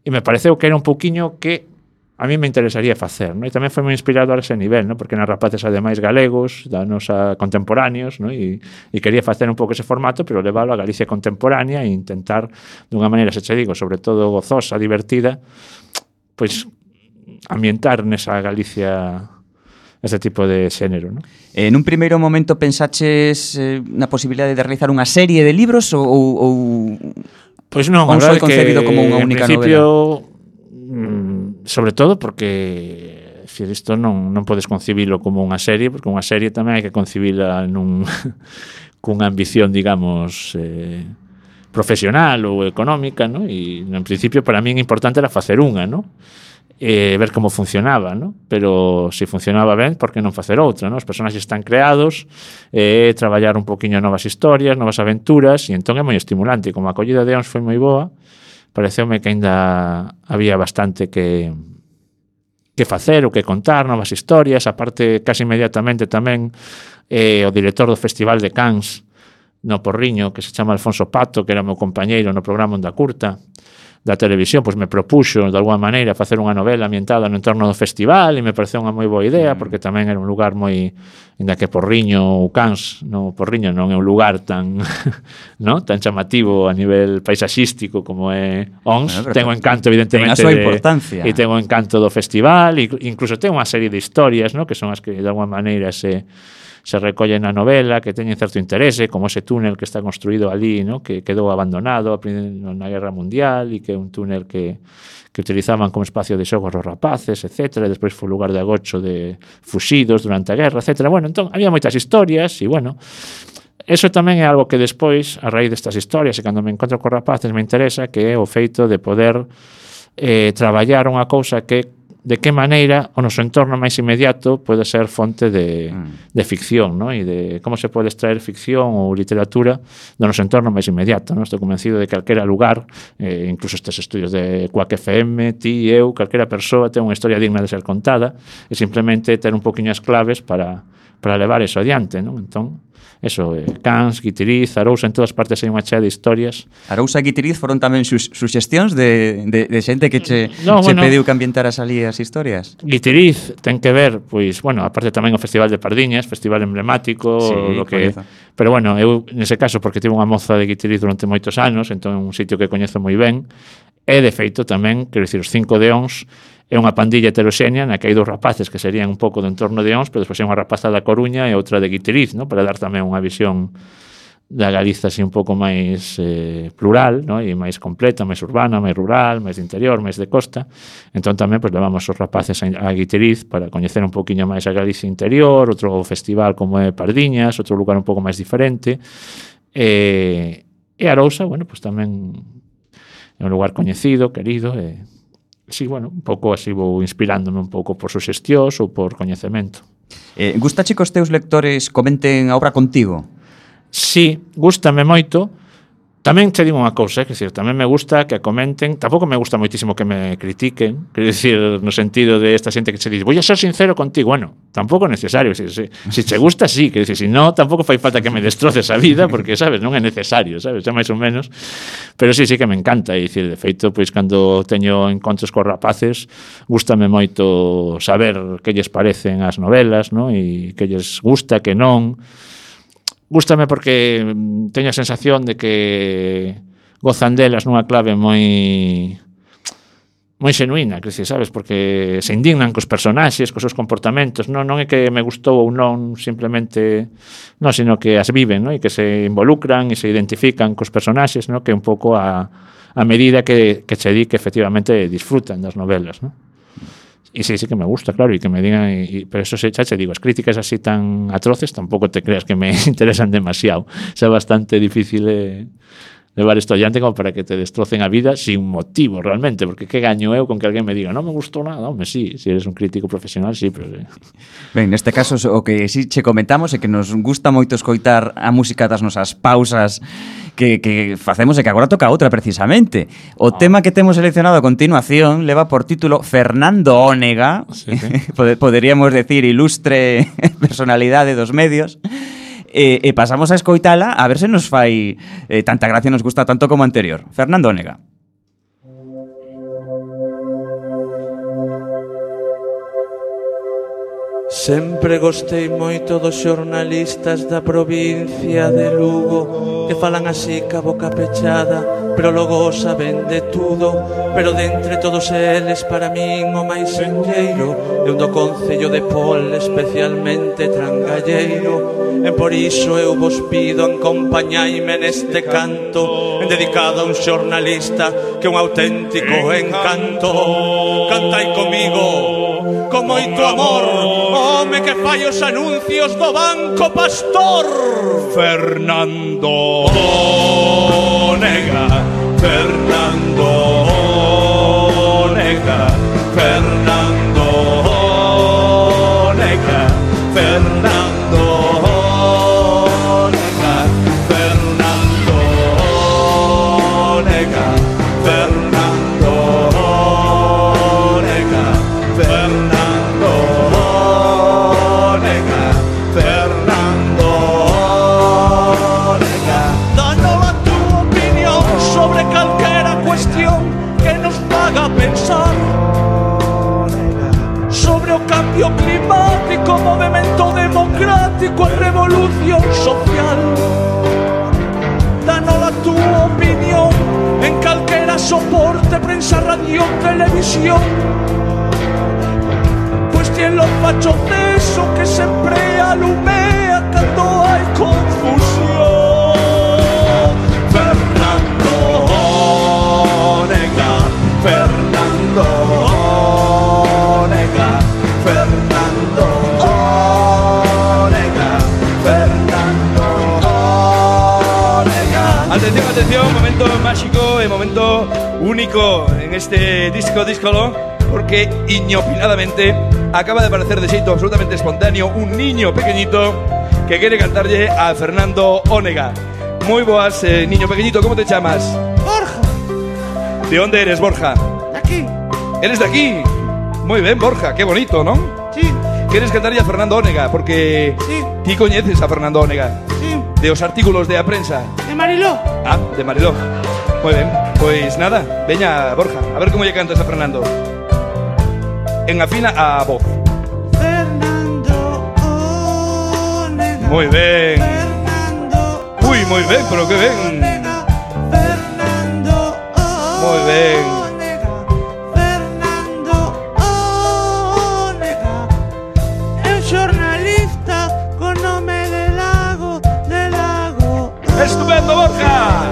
e me pareceu que era un poquinho que a mí me interesaría facer, ¿no? E tamén foi moi inspirador a ese nivel, ¿no? Porque nas rapaces ademais galegos, da nosa contemporáneos, ¿no? E, e quería facer un pouco ese formato, pero leválo a Galicia contemporánea e intentar, dunha maneira, se che digo, sobre todo gozosa, divertida, pois ambientar nesa Galicia ese tipo de xénero, ¿no? En un primeiro momento pensaches eh, na posibilidade de realizar unha serie de libros ou... ou pois non, a verdade foi concebido como unha única novela. Mm, sobre todo porque decir, isto non, non podes concibilo como unha serie, porque unha serie tamén hai que concibila nun, cunha ambición, digamos, eh, profesional ou económica, ¿no? E en principio para min importante era facer unha, ¿no? E ver como funcionaba, ¿no? Pero se funcionaba ben, por que non facer outra, ¿no? Os personaxes están creados, e eh, traballar un poquinho novas historias, novas aventuras, e entón é moi estimulante. Como a acollida de Ons foi moi boa, pareceume que aínda había bastante que que facer ou que contar, novas historias. Aparte, casi inmediatamente tamén eh, o director do Festival de Cannes no Porriño, que se chama Alfonso Pato, que era meu compañeiro no programa Onda Curta da televisión, pois me propuxo de alguma maneira facer unha novela ambientada no entorno do festival, e me pareceu unha moi boa idea, porque tamén era un lugar moi, ainda que Porriño ou Cans, no Porriño non é un lugar tan no, tan chamativo a nivel paisaxístico como é Ons, bueno, ten o encanto evidentemente ten a súa importancia. E ten o encanto do festival, e incluso ten unha serie de historias, no, que son as que de alguma maneira se se recolle na novela, que teñen certo interese, como ese túnel que está construído ali, ¿no? Que quedou abandonado na Guerra Mundial, e que é un túnel que, que utilizaban como espacio de xogos os rapaces, etcétera, e despois foi lugar de agocho de fuxidos durante a guerra, etcétera. Bueno, entón, había moitas historias, e bueno, eso tamén é algo que despois, a raíz destas historias, e cando me encontro con rapaces me interesa, que é o feito de poder eh, traballar unha cousa que de que maneira o noso entorno máis inmediato pode ser fonte de, mm. de ficción, ¿no? E de como se pode extraer ficción ou literatura do noso entorno máis inmediato, ¿no? Estou convencido de que calquera lugar, eh, incluso estes estudios de Quack F M, ti, eu, calquera persoa ten unha historia digna de ser contada, e simplemente ter un poquinho as claves para, para levar eso adiante, ¿no? Entón, eso, eh, Cans, Guitiriz, Arousa, en todas partes hai unha chea de historias. Arousa e Guitiriz foron tamén sus, suxestións de, de, de xente que che, no, che bueno, pediu que ambientaras ali as historias? Guitiriz ten que ver, pois, bueno, aparte tamén o Festival de Pardiñas, festival emblemático, sí, lo que, pero bueno, eu nese caso, porque tive unha moza de Guitiriz durante moitos anos, entón é un sitio que coñezo moi ben, e de feito tamén, quero dicir, os cinco de Ons é unha pandilla heteroxénea na que hai dous rapaces que serían un pouco do entorno de Ons, pero despois hai unha rapaza da Coruña e outra de Guitiriz, ¿no? Para dar tamén unha visión da Galiza así un pouco máis eh, plural, ¿no? E máis completa, máis urbana, máis rural, máis de interior, máis de costa. Entón tamén pues, levamos os rapaces a, a Guitiriz para coñecer un pouquiño máis a Galicia interior, outro festival como é Pardiñas, outro lugar un pouco máis diferente. E, e Arousa, bueno, pues tamén é un lugar coñecido, querido, e sí, bueno, un pouco así vou inspirándome un pouco por suxestións ou por coñecemento. Eh, gustache que os teus lectores comenten a obra contigo? Sí, gústame moito. Tamén che digo unha cousa, é dicir, tamén me gusta que a comenten, tampouco me gusta moitísimo que me critiquen, quero dicir, no sentido de esta xente que che dice, voy a ser sincero contigo, bueno, tampouco é necesario, se, se, se che gusta, sí, quero dicir, se no, tampouco fai falta que me destroces a vida, porque, sabes, non é necesario, sabes, xa máis ou menos, pero sí, sí que me encanta, e dicir, de feito, pois, cando teño encontros cos rapaces, gústame moito saber que lles parecen as novelas, no? E que lles gusta, que non. Gústame porque teño a sensación de que gozan delas nunha clave moi moi xenuína, que se sabes, porque se indignan cos personaxes, cos seus comportamentos, non, non é que me gustou ou non simplemente, non, sino que as viven, non? E que se involucran e se identifican cos personaxes, non? Que é un pouco a, a medida que, que che di que efectivamente disfrutan das novelas, non? Y sí, sí que me gusta, claro, y que me digan, y, y, pero eso se chache, digo, as críticas así tan atroces tampouco te creas que me interesan demasiado. O sea, bastante difícil eh, levar isto adiante como para que te destrocen a vida sin motivo realmente, porque que gaño eu con que alguén me diga non me gustou nada, home, sí, se eres un crítico profesional, sí, pero... Eh. Ben, neste caso, o que sí che comentamos é que nos gusta moito escoitar a música das nosas pausas que, que facemos e que agora toca outra precisamente. O ah. tema que temos seleccionado a continuación leva por título Fernando Ónega, sí, sí. Poderíamos decir ilustre personalidade dos medios, e, e pasamos a escoitala a ver se nos fai eh, tanta gracia, nos gusta tanto como anterior. Fernando Ónega. Sempre gostei moito dos xornalistas da provincia de Lugo, que falan así ca boca pechada, pero logo saben de tudo. Pero de entre todos eles, para min o máis enlleiro é un do concello de Pol, especialmente trangalleiro. E por iso eu vos pido, acompañaime neste canto, dedicado a un xornalista que é un auténtico encanto. Cantai comigo con moito amor, home que fai os anuncios do Banco Pastor. Fernando Ónega, Fernando Ónega, Fernando Ónega, Fernando Ónega, Fernando Ónega, Fernando Ónega, Fernando Ónega, Fernando Ónega. Danos a tu opinión sobre calquera cuestión que nos haga pensar, sobre o cambio climático, movimento democrático e revolución social. Danos a tu opinión en calquera soporte, prensa, radio, televisión. Cuestión los fachos de eso que sempre alumea cando hai confusión. Fernando Ónega, Fernando Ónega, Fernando Ónega, Fernando Ónega. Atención, atención, momento mágico e momento único en este disco díscolo, porque inopinadamente acaba de aparecer de xeito absolutamente espontáneo un niño pequeñito que quere cantarlle a Fernando Ónega. Muy boas, eh, niño pequeñito, ¿cómo te llamas? Borja. ¿De dónde eres, Borja? De aquí. ¿Eres de aquí? Muy bien, Borja, qué bonito, ¿no? Sí. ¿Quieres cantarlle a Fernando Ónega? Porque sí. Ti coñeces a Fernando Ónega. Sí. De os artículos de a prensa. De Mariló. Ah, de Mariló. Muy bien, pues nada, veña, Borja, a ver cómo lle cantas a Fernando. En afina a voz. Fernando Ónega. Muy bien. Fernando. Uy, muy bien, pero qué bien. Fernando Ónega. Muy bien. Fernando Ónega. É un xornalista con nome de Lago, de Lago. Estupendo, Borja.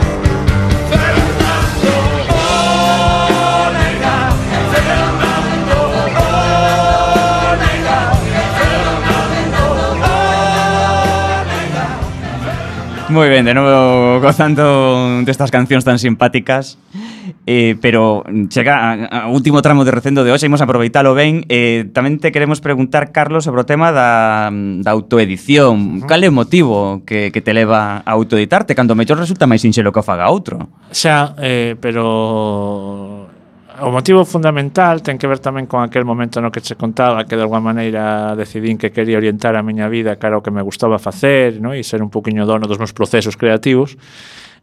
Moi ben, de novo gozando destas cancións tan simpáticas, eh, pero chega a, a último tramo de recendo de hoxe, imos aproveitalo ben. Eh, tamén te queremos preguntar, Carlos, sobre o tema da, da autoedición. Uh-huh. Cal é o motivo que, que te leva a autoeditarte, cando mellor resulta máis sinxelo que o faga outro? Xa, eh, pero... O motivo fundamental ten que ver tamén con aquel momento no que che contaba que de alguma maneira decidín que quería orientar a miña vida cara ao que me gustaba facer, no? E ser un poquinho dono dos meus procesos creativos.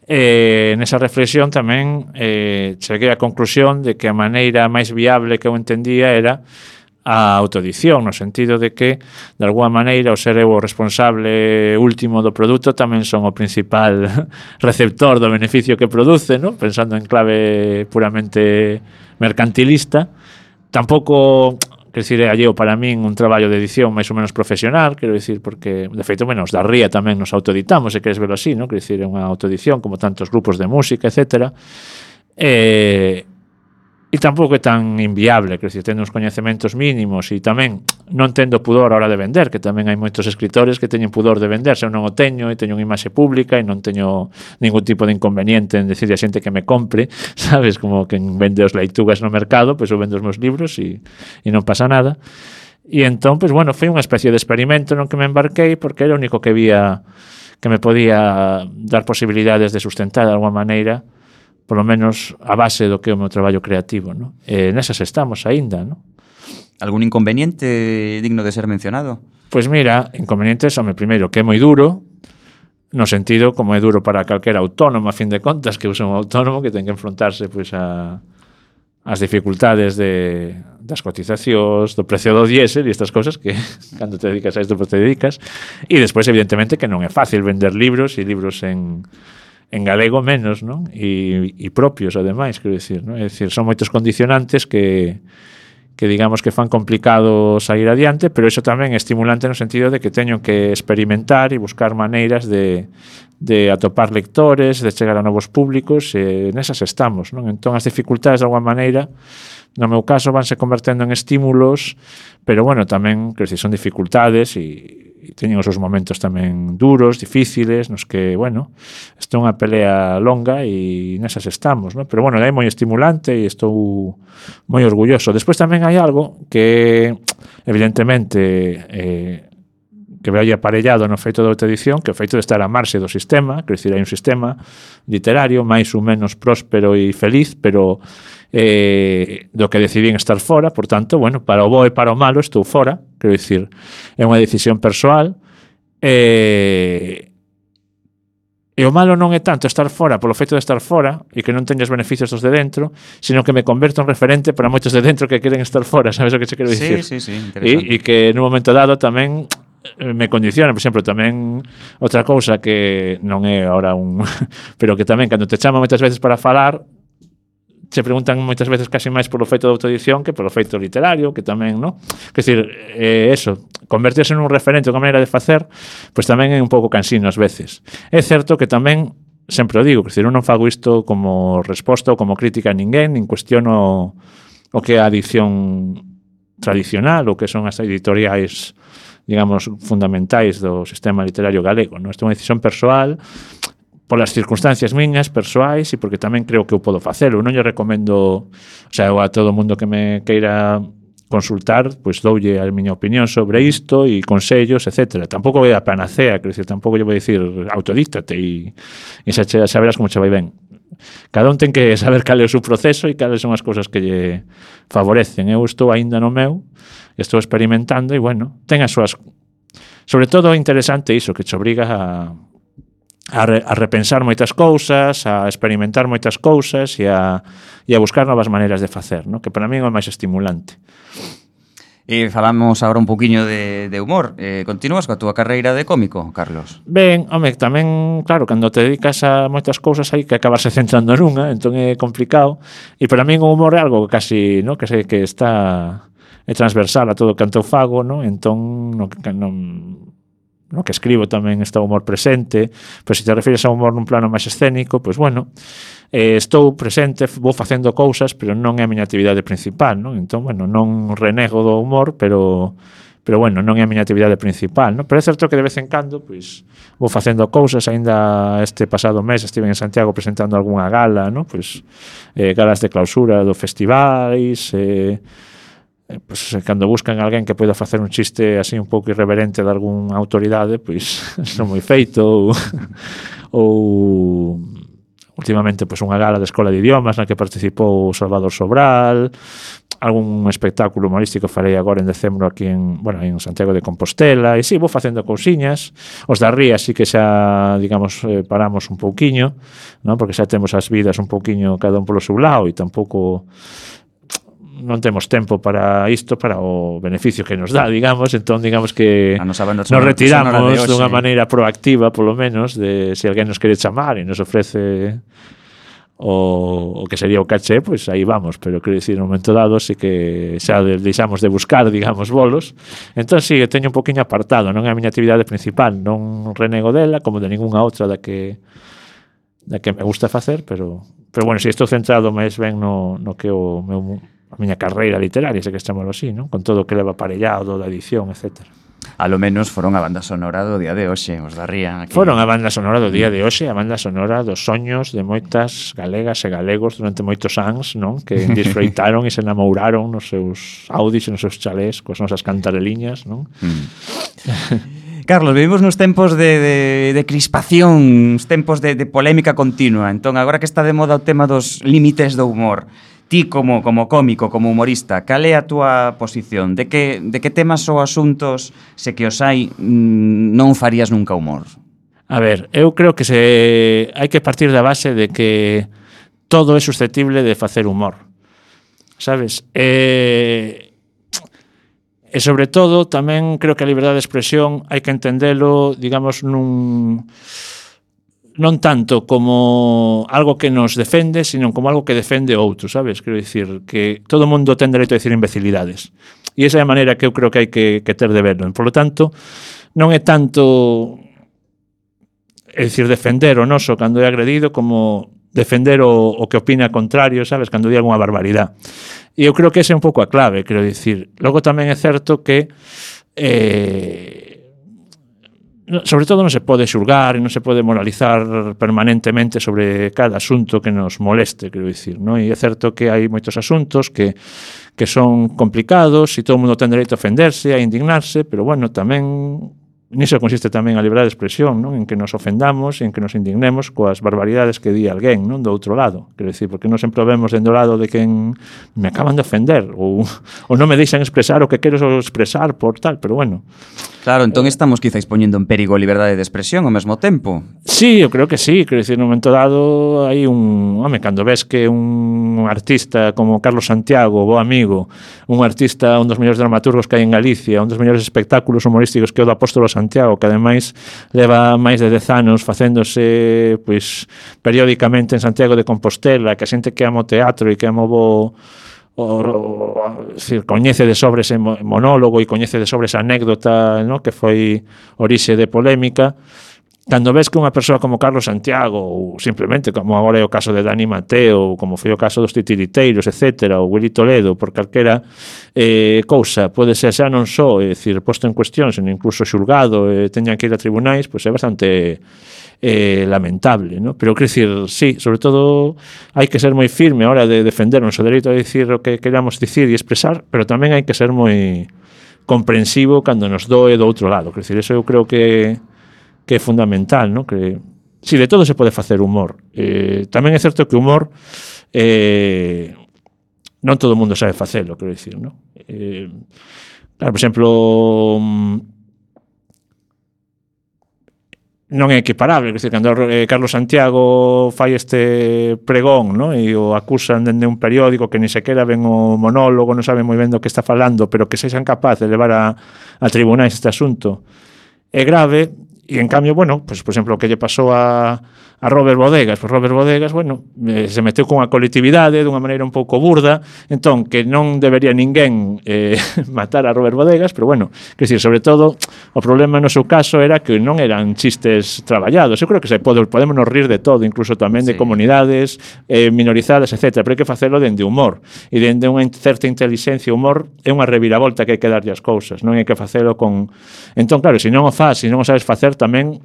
E nesa reflexión tamén eh, cheguei á conclusión de que a maneira máis viable que eu entendía era a autoedición, no sentido de que, de alguma maneira, o ser eu o responsable último do produto tamén son o principal receptor do beneficio que produce, ¿no? Pensando en clave puramente mercantilista. Tampouco, quer dicir, é alleo para min un traballo de edición máis ou menos profesional, quero dicir, porque, de feito, menos da Ría tamén nos autoeditamos, se queres verlo así, ¿no? Quer dicir, é unha autoedición como tantos grupos de música, etcétera. E... E tampouco é tan inviable, quer dizer, tendo uns coñecementos mínimos e tamén non tendo pudor a hora de vender, que tamén hai moitos escritores que teñen pudor de vender, se eu non o teño e teño unha imaxe pública e non teño ningún tipo de inconveniente en decirle a xente que me compre, sabes, como que vende os leitugas no mercado, pois eu vendo os meus libros e, e non pasa nada. E entón, pois bueno, foi unha especie de experimento no que me embarquei porque era o único que vía que me podía dar posibilidades de sustentar de alguma maneira polo menos a base do que é o meu traballo creativo, ¿no? E nesas estamos aínda, ¿no? Algún inconveniente digno de ser mencionado? Pois mira, inconvenientes, home, primeiro, que é moi duro, no sentido como é duro para calquera autónomo, a fin de contas, que usa un autónomo que ten que enfrontarse pois a as dificultades de, das cotizacións, do precio do diésel e estas cosas que cando te dedicas a isto pues te dedicas. E despois, evidentemente, que non é fácil vender libros e libros en en galego menos, non? E, e propios, ademais, quero dicir, non? É dicir, son moitos condicionantes que que digamos que fan complicado sair adiante, pero iso tamén é estimulante no sentido de que teño que experimentar e buscar maneiras de, de atopar lectores, de chegar a novos públicos, e nesas estamos, non? Entón, as dificultades, de alguma maneira, no meu caso, vanse convertendo en estímulos, pero, bueno, tamén, quero dicir, son dificultades e e teñen os seus momentos tamén duros, difíciles, nos que, bueno, isto é unha pelea longa e nesas estamos, ¿no? Pero, bueno, é moi estimulante e estou moi orgulloso. Despois tamén hai algo que, evidentemente, eh, que vai aparellado no feito da outra edición, que é o feito de estar a marxe do sistema, quer dizer, hai un sistema literario máis ou menos próspero e feliz, pero eh, do que decidín estar fora, por tanto, bueno, para o bo e para o malo estou fora, quero dicir, é unha decisión persoal, e, e o malo non é tanto estar fora polo feito de estar fora e que non teñas beneficios dos de dentro, sino que me converto en referente para moitos de dentro que queren estar fora, sabes o que che quero dicir? Sí, sí, sí, E, interesante. e que nun momento dado tamén me condiciona, por exemplo, tamén outra cousa que non é ahora un pero que tamén cando te chaman moitas veces para falar se preguntan moitas veces casi máis polo feito da autoedición que polo feito literario, que tamén, ¿no? Quer dizer, eh, eso, convertirse nun referente, unha maneira de facer, pois tamén é un pouco cansino ás veces. É certo que tamén, sempre o digo, quer dizer, eu non fago isto como resposta ou como crítica a ninguén, nin cuestiono o que é a edición tradicional, ou que son as editoriais, digamos, fundamentais do sistema literario galego, ¿no? Isto é unha decisión persoal, polas circunstancias miñas, persoais, e porque tamén creo que eu podo facelo. Non lle recomendo, o sea, eu a todo mundo que me queira consultar, pois doulle a miña opinión sobre isto e consellos, etcétera. Tampouco é a panacea, quer dizer, tampouco lle vou dicir autodíctate e, e xa, xa verás como che vai ben. Cada un ten que saber cal é o seu proceso e cales son as cousas que lle favorecen. Eu estou aínda no meu, estou experimentando e, bueno, ten as súas... Sobre todo, interesante iso, que te obriga a A, re, a repensar moitas cousas, a experimentar moitas cousas e a, e a buscar novas maneiras de facer, ¿no? Que para mí é o máis estimulante. E falamos agora un poquinho de, de humor. Eh, continúas coa túa carreira de cómico, Carlos? Ben, home, tamén, claro, cando te dedicas a moitas cousas hai que acabarse centrando nunha, entón é complicado. E para mí o humor é algo casi, ¿no? Que sei que está é transversal a todo o canto fago, ¿no? Entón, no, non... no que escribo tamén está o humor presente, pois se te refires a humor nun plano máis escénico, pois bueno, eh, estou presente, vou facendo cousas, pero non é a miña actividade principal, non? Entón, bueno, non renego do humor, pero pero bueno, non é a miña actividade principal, non? Pero é certo que de vez en cando, pois, vou facendo cousas, aínda este pasado mes estive en Santiago presentando algunha gala, non? Pois, eh, galas de clausura do festivais, eh, Pues, cando buscan alguén que poida facer un chiste así un pouco irreverente de algunha autoridade, pois son moi feito ou, ou últimamente pois unha gala de Escola de Idiomas na que participou Salvador Sobral, algún espectáculo humorístico farei agora en decembro aquí en, bueno, en Santiago de Compostela, e si, sí, vou facendo cousiñas. Os da Ría sí que xa, digamos, eh, paramos un pouquiño, non? Porque xa temos as vidas un pouquiño cada un polo seu lado e tampouco non temos tempo para isto, para o beneficio que nos dá, digamos, entón digamos que nos retiramos dunha maneira proactiva, polo menos, de se alguén nos quere chamar e nos ofrece o, o que sería o caché, pois aí vamos, pero quero dicir, no momento dado sí que xa deixamos de buscar, digamos, bolos, entón sí, teño un poquinho apartado, non é a miña actividade principal, non renego dela, como de ningunha outra da que da que me gusta facer, pero pero bueno, si estou centrado máis ben no, no que o meu, a miña carreira literaria, se que chamalo así, non? Con todo o que leva aparellado da edición, etcétera. A lo menos foron a banda sonora do día de hoxe, os darían aquí. Foron a banda sonora do día de hoxe, a banda sonora dos soños de moitas galegas e galegos durante moitos anos, non? Que disfrutaron e se enamouraron nos seus Audis e nos seus chalés coas nosas cantareliñas, non? Mm. Carlos, vivimos nos tempos de, de, de crispación, uns tempos de, de polémica continua. Entón, agora que está de moda o tema dos límites do humor, ti como, como cómico, como humorista, cal é a túa posición? De que, de que temas ou asuntos, se que os hai, non farías nunca humor? A ver, eu creo que se hai que partir da base de que todo é susceptible de facer humor. Sabes? E, e sobre todo, tamén creo que a liberdade de expresión hai que entendelo, digamos, nun... non tanto como algo que nos defende, sino como algo que defende outro, sabes? Quero dicir, que todo o mundo ten dereito a decir imbecilidades. E esa é a maneira que eu creo que hai que, que ter de verlo. Por lo tanto, non é tanto, é dicir, defender o noso cando é agredido como defender o, o que opina contrario, sabes? Cando di alguna barbaridade. E eu creo que esa é un pouco a clave, quero dicir. Logo tamén é certo que eh, sobre todo non se pode xulgar e non se pode moralizar permanentemente sobre cada asunto que nos moleste, quero dicir, non? E é certo que hai moitos asuntos que, que son complicados e todo o mundo ten dereito a ofenderse, a indignarse, pero bueno, tamén niso consiste tamén a liberdade de expresión, non? En que nos ofendamos e en que nos indignemos coas barbaridades que di alguén, non? Do outro lado, quero dicir, porque non sempre vemos dentro do lado de quen me acaban de ofender ou, ou non me deixan expresar o que quero expresar por tal, pero bueno. Claro, entón estamos quizáis poñendo en perigo a liberdade de expresión ao mesmo tempo. Sí, eu creo que sí, quero dicir, no momento dado hai un, home, cando ves que un artista como Carlos Santiago, bo amigo, un artista, un dos mellores dramaturgos que hai en Galicia, un dos mellores espectáculos humorísticos que é o do Apóstolo Santiago, que ademais leva máis de dez anos facéndose pois periódicamente en Santiago de Compostela, que a xente que ama o teatro e que ama o bo o, o, decir, coñece de sobre ese monólogo e coñece de sobre esa anécdota, ¿no? Que foi orixe de polémica. Cando ves que unha persoa como Carlos Santiago ou simplemente como agora é o caso de Dani Mateo ou como foi o caso dos titiriteiros, etcétera, ou Willy Toledo, por calquera eh, cousa pode ser xa non só, é dicir, posto en cuestión, sino incluso xulgado e eh, teñan que ir a tribunais, pois é bastante eh, lamentable, ¿no? Pero quero dicir, sí, sobre todo hai que ser moi firme a hora de defender o noso dereito a dicir o que queramos dicir e expresar, pero tamén hai que ser moi comprensivo cando nos doe do outro lado. Quero dicir, eso eu creo que que é fundamental, ¿no? Que si de todo se pode facer humor. Eh, tamén é certo que o humor eh, non todo o mundo sabe facelo, quero dicir, ¿no? Eh, claro, por exemplo, non é equiparable, quero dicir, cando eh, Carlos Santiago fai este pregón, ¿no? E o acusan dende un periódico que ni sequera ven o monólogo, non sabe moi ben do que está falando, pero que sexan capaz de levar a, a tribunais este asunto é grave. E, en cambio, bueno, pues, por exemplo, o que lle pasou a, a Robert Bodegas, pues Robert Bodegas, bueno, eh, se meteu con a colectividade dunha maneira un pouco burda, entón, que non debería ninguén eh, matar a Robert Bodegas, pero, bueno, que decir, sobre todo, o problema no seu caso era que non eran chistes traballados. Eu creo que se pode, podemos nos rir de todo, incluso tamén de sí. comunidades eh, minorizadas, etcétera, pero hai que facelo dende humor, e dende unha certa inteligencia. Humor é unha reviravolta que hai que darlle as cousas, non hai que facelo con... Entón, claro, se non o faz, se non o sabes facer, tamén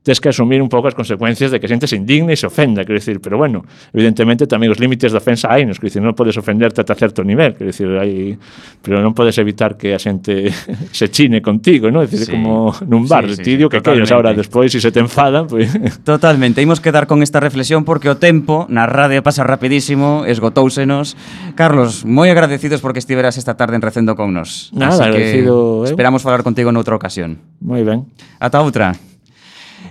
tens que asumir un pouco as consecuencias de que a xente se indigne e se ofenda, quero dicir, pero bueno, evidentemente tamén os límites da ofensa hai, nos, quero dicir, non podes ofenderte ata certo nivel, quero dicir, hai, pero non podes evitar que a xente se chine contigo, non? Decir, sí. Como nun bar, sí, sí, ti dio sí, que queres agora despois, se si se te enfadan, pois... Pues... Totalmente, imos quedar con esta reflexión porque o tempo na radio pasa rapidísimo, esgotóusenos. Carlos, moi agradecidos porque estiveras esta tarde en Recendo con nos. Nada, así agradecido, que esperamos falar contigo noutra ocasión. Moi ben. Ata outra.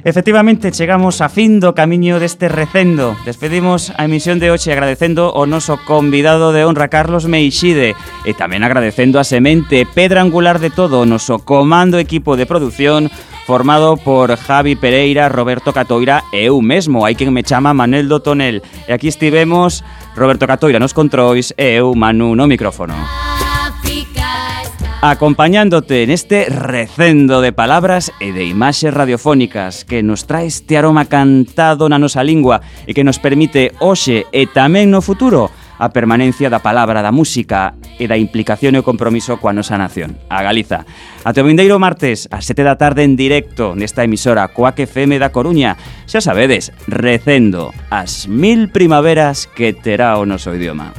Efectivamente, chegamos a fin do camiño deste recendo. Despedimos a emisión de hoxe agradecendo o noso convidado de honra, Carlos Meixide, e tamén agradecendo a semente pedra angular de todo o noso comando equipo de produción formado por Javi Pereira, Roberto Catoira e eu mesmo, hai quen me chama Manel do Tonel. E aquí estivemos Roberto Catoira nos controis e eu, Manu, no micrófono. África está acompañándote en este recendo de palabras e de imaxes radiofónicas que nos trae este aroma cantado na nosa lingua e que nos permite hoxe e tamén no futuro a permanencia da palabra, da música e da implicación e o compromiso coa nosa nación, a Galiza. Ate o vindeiro martes, ás sete da tarde en directo nesta emisora Coac F M da Coruña. Xa sabedes, recendo as mil primaveras que terá o noso idioma.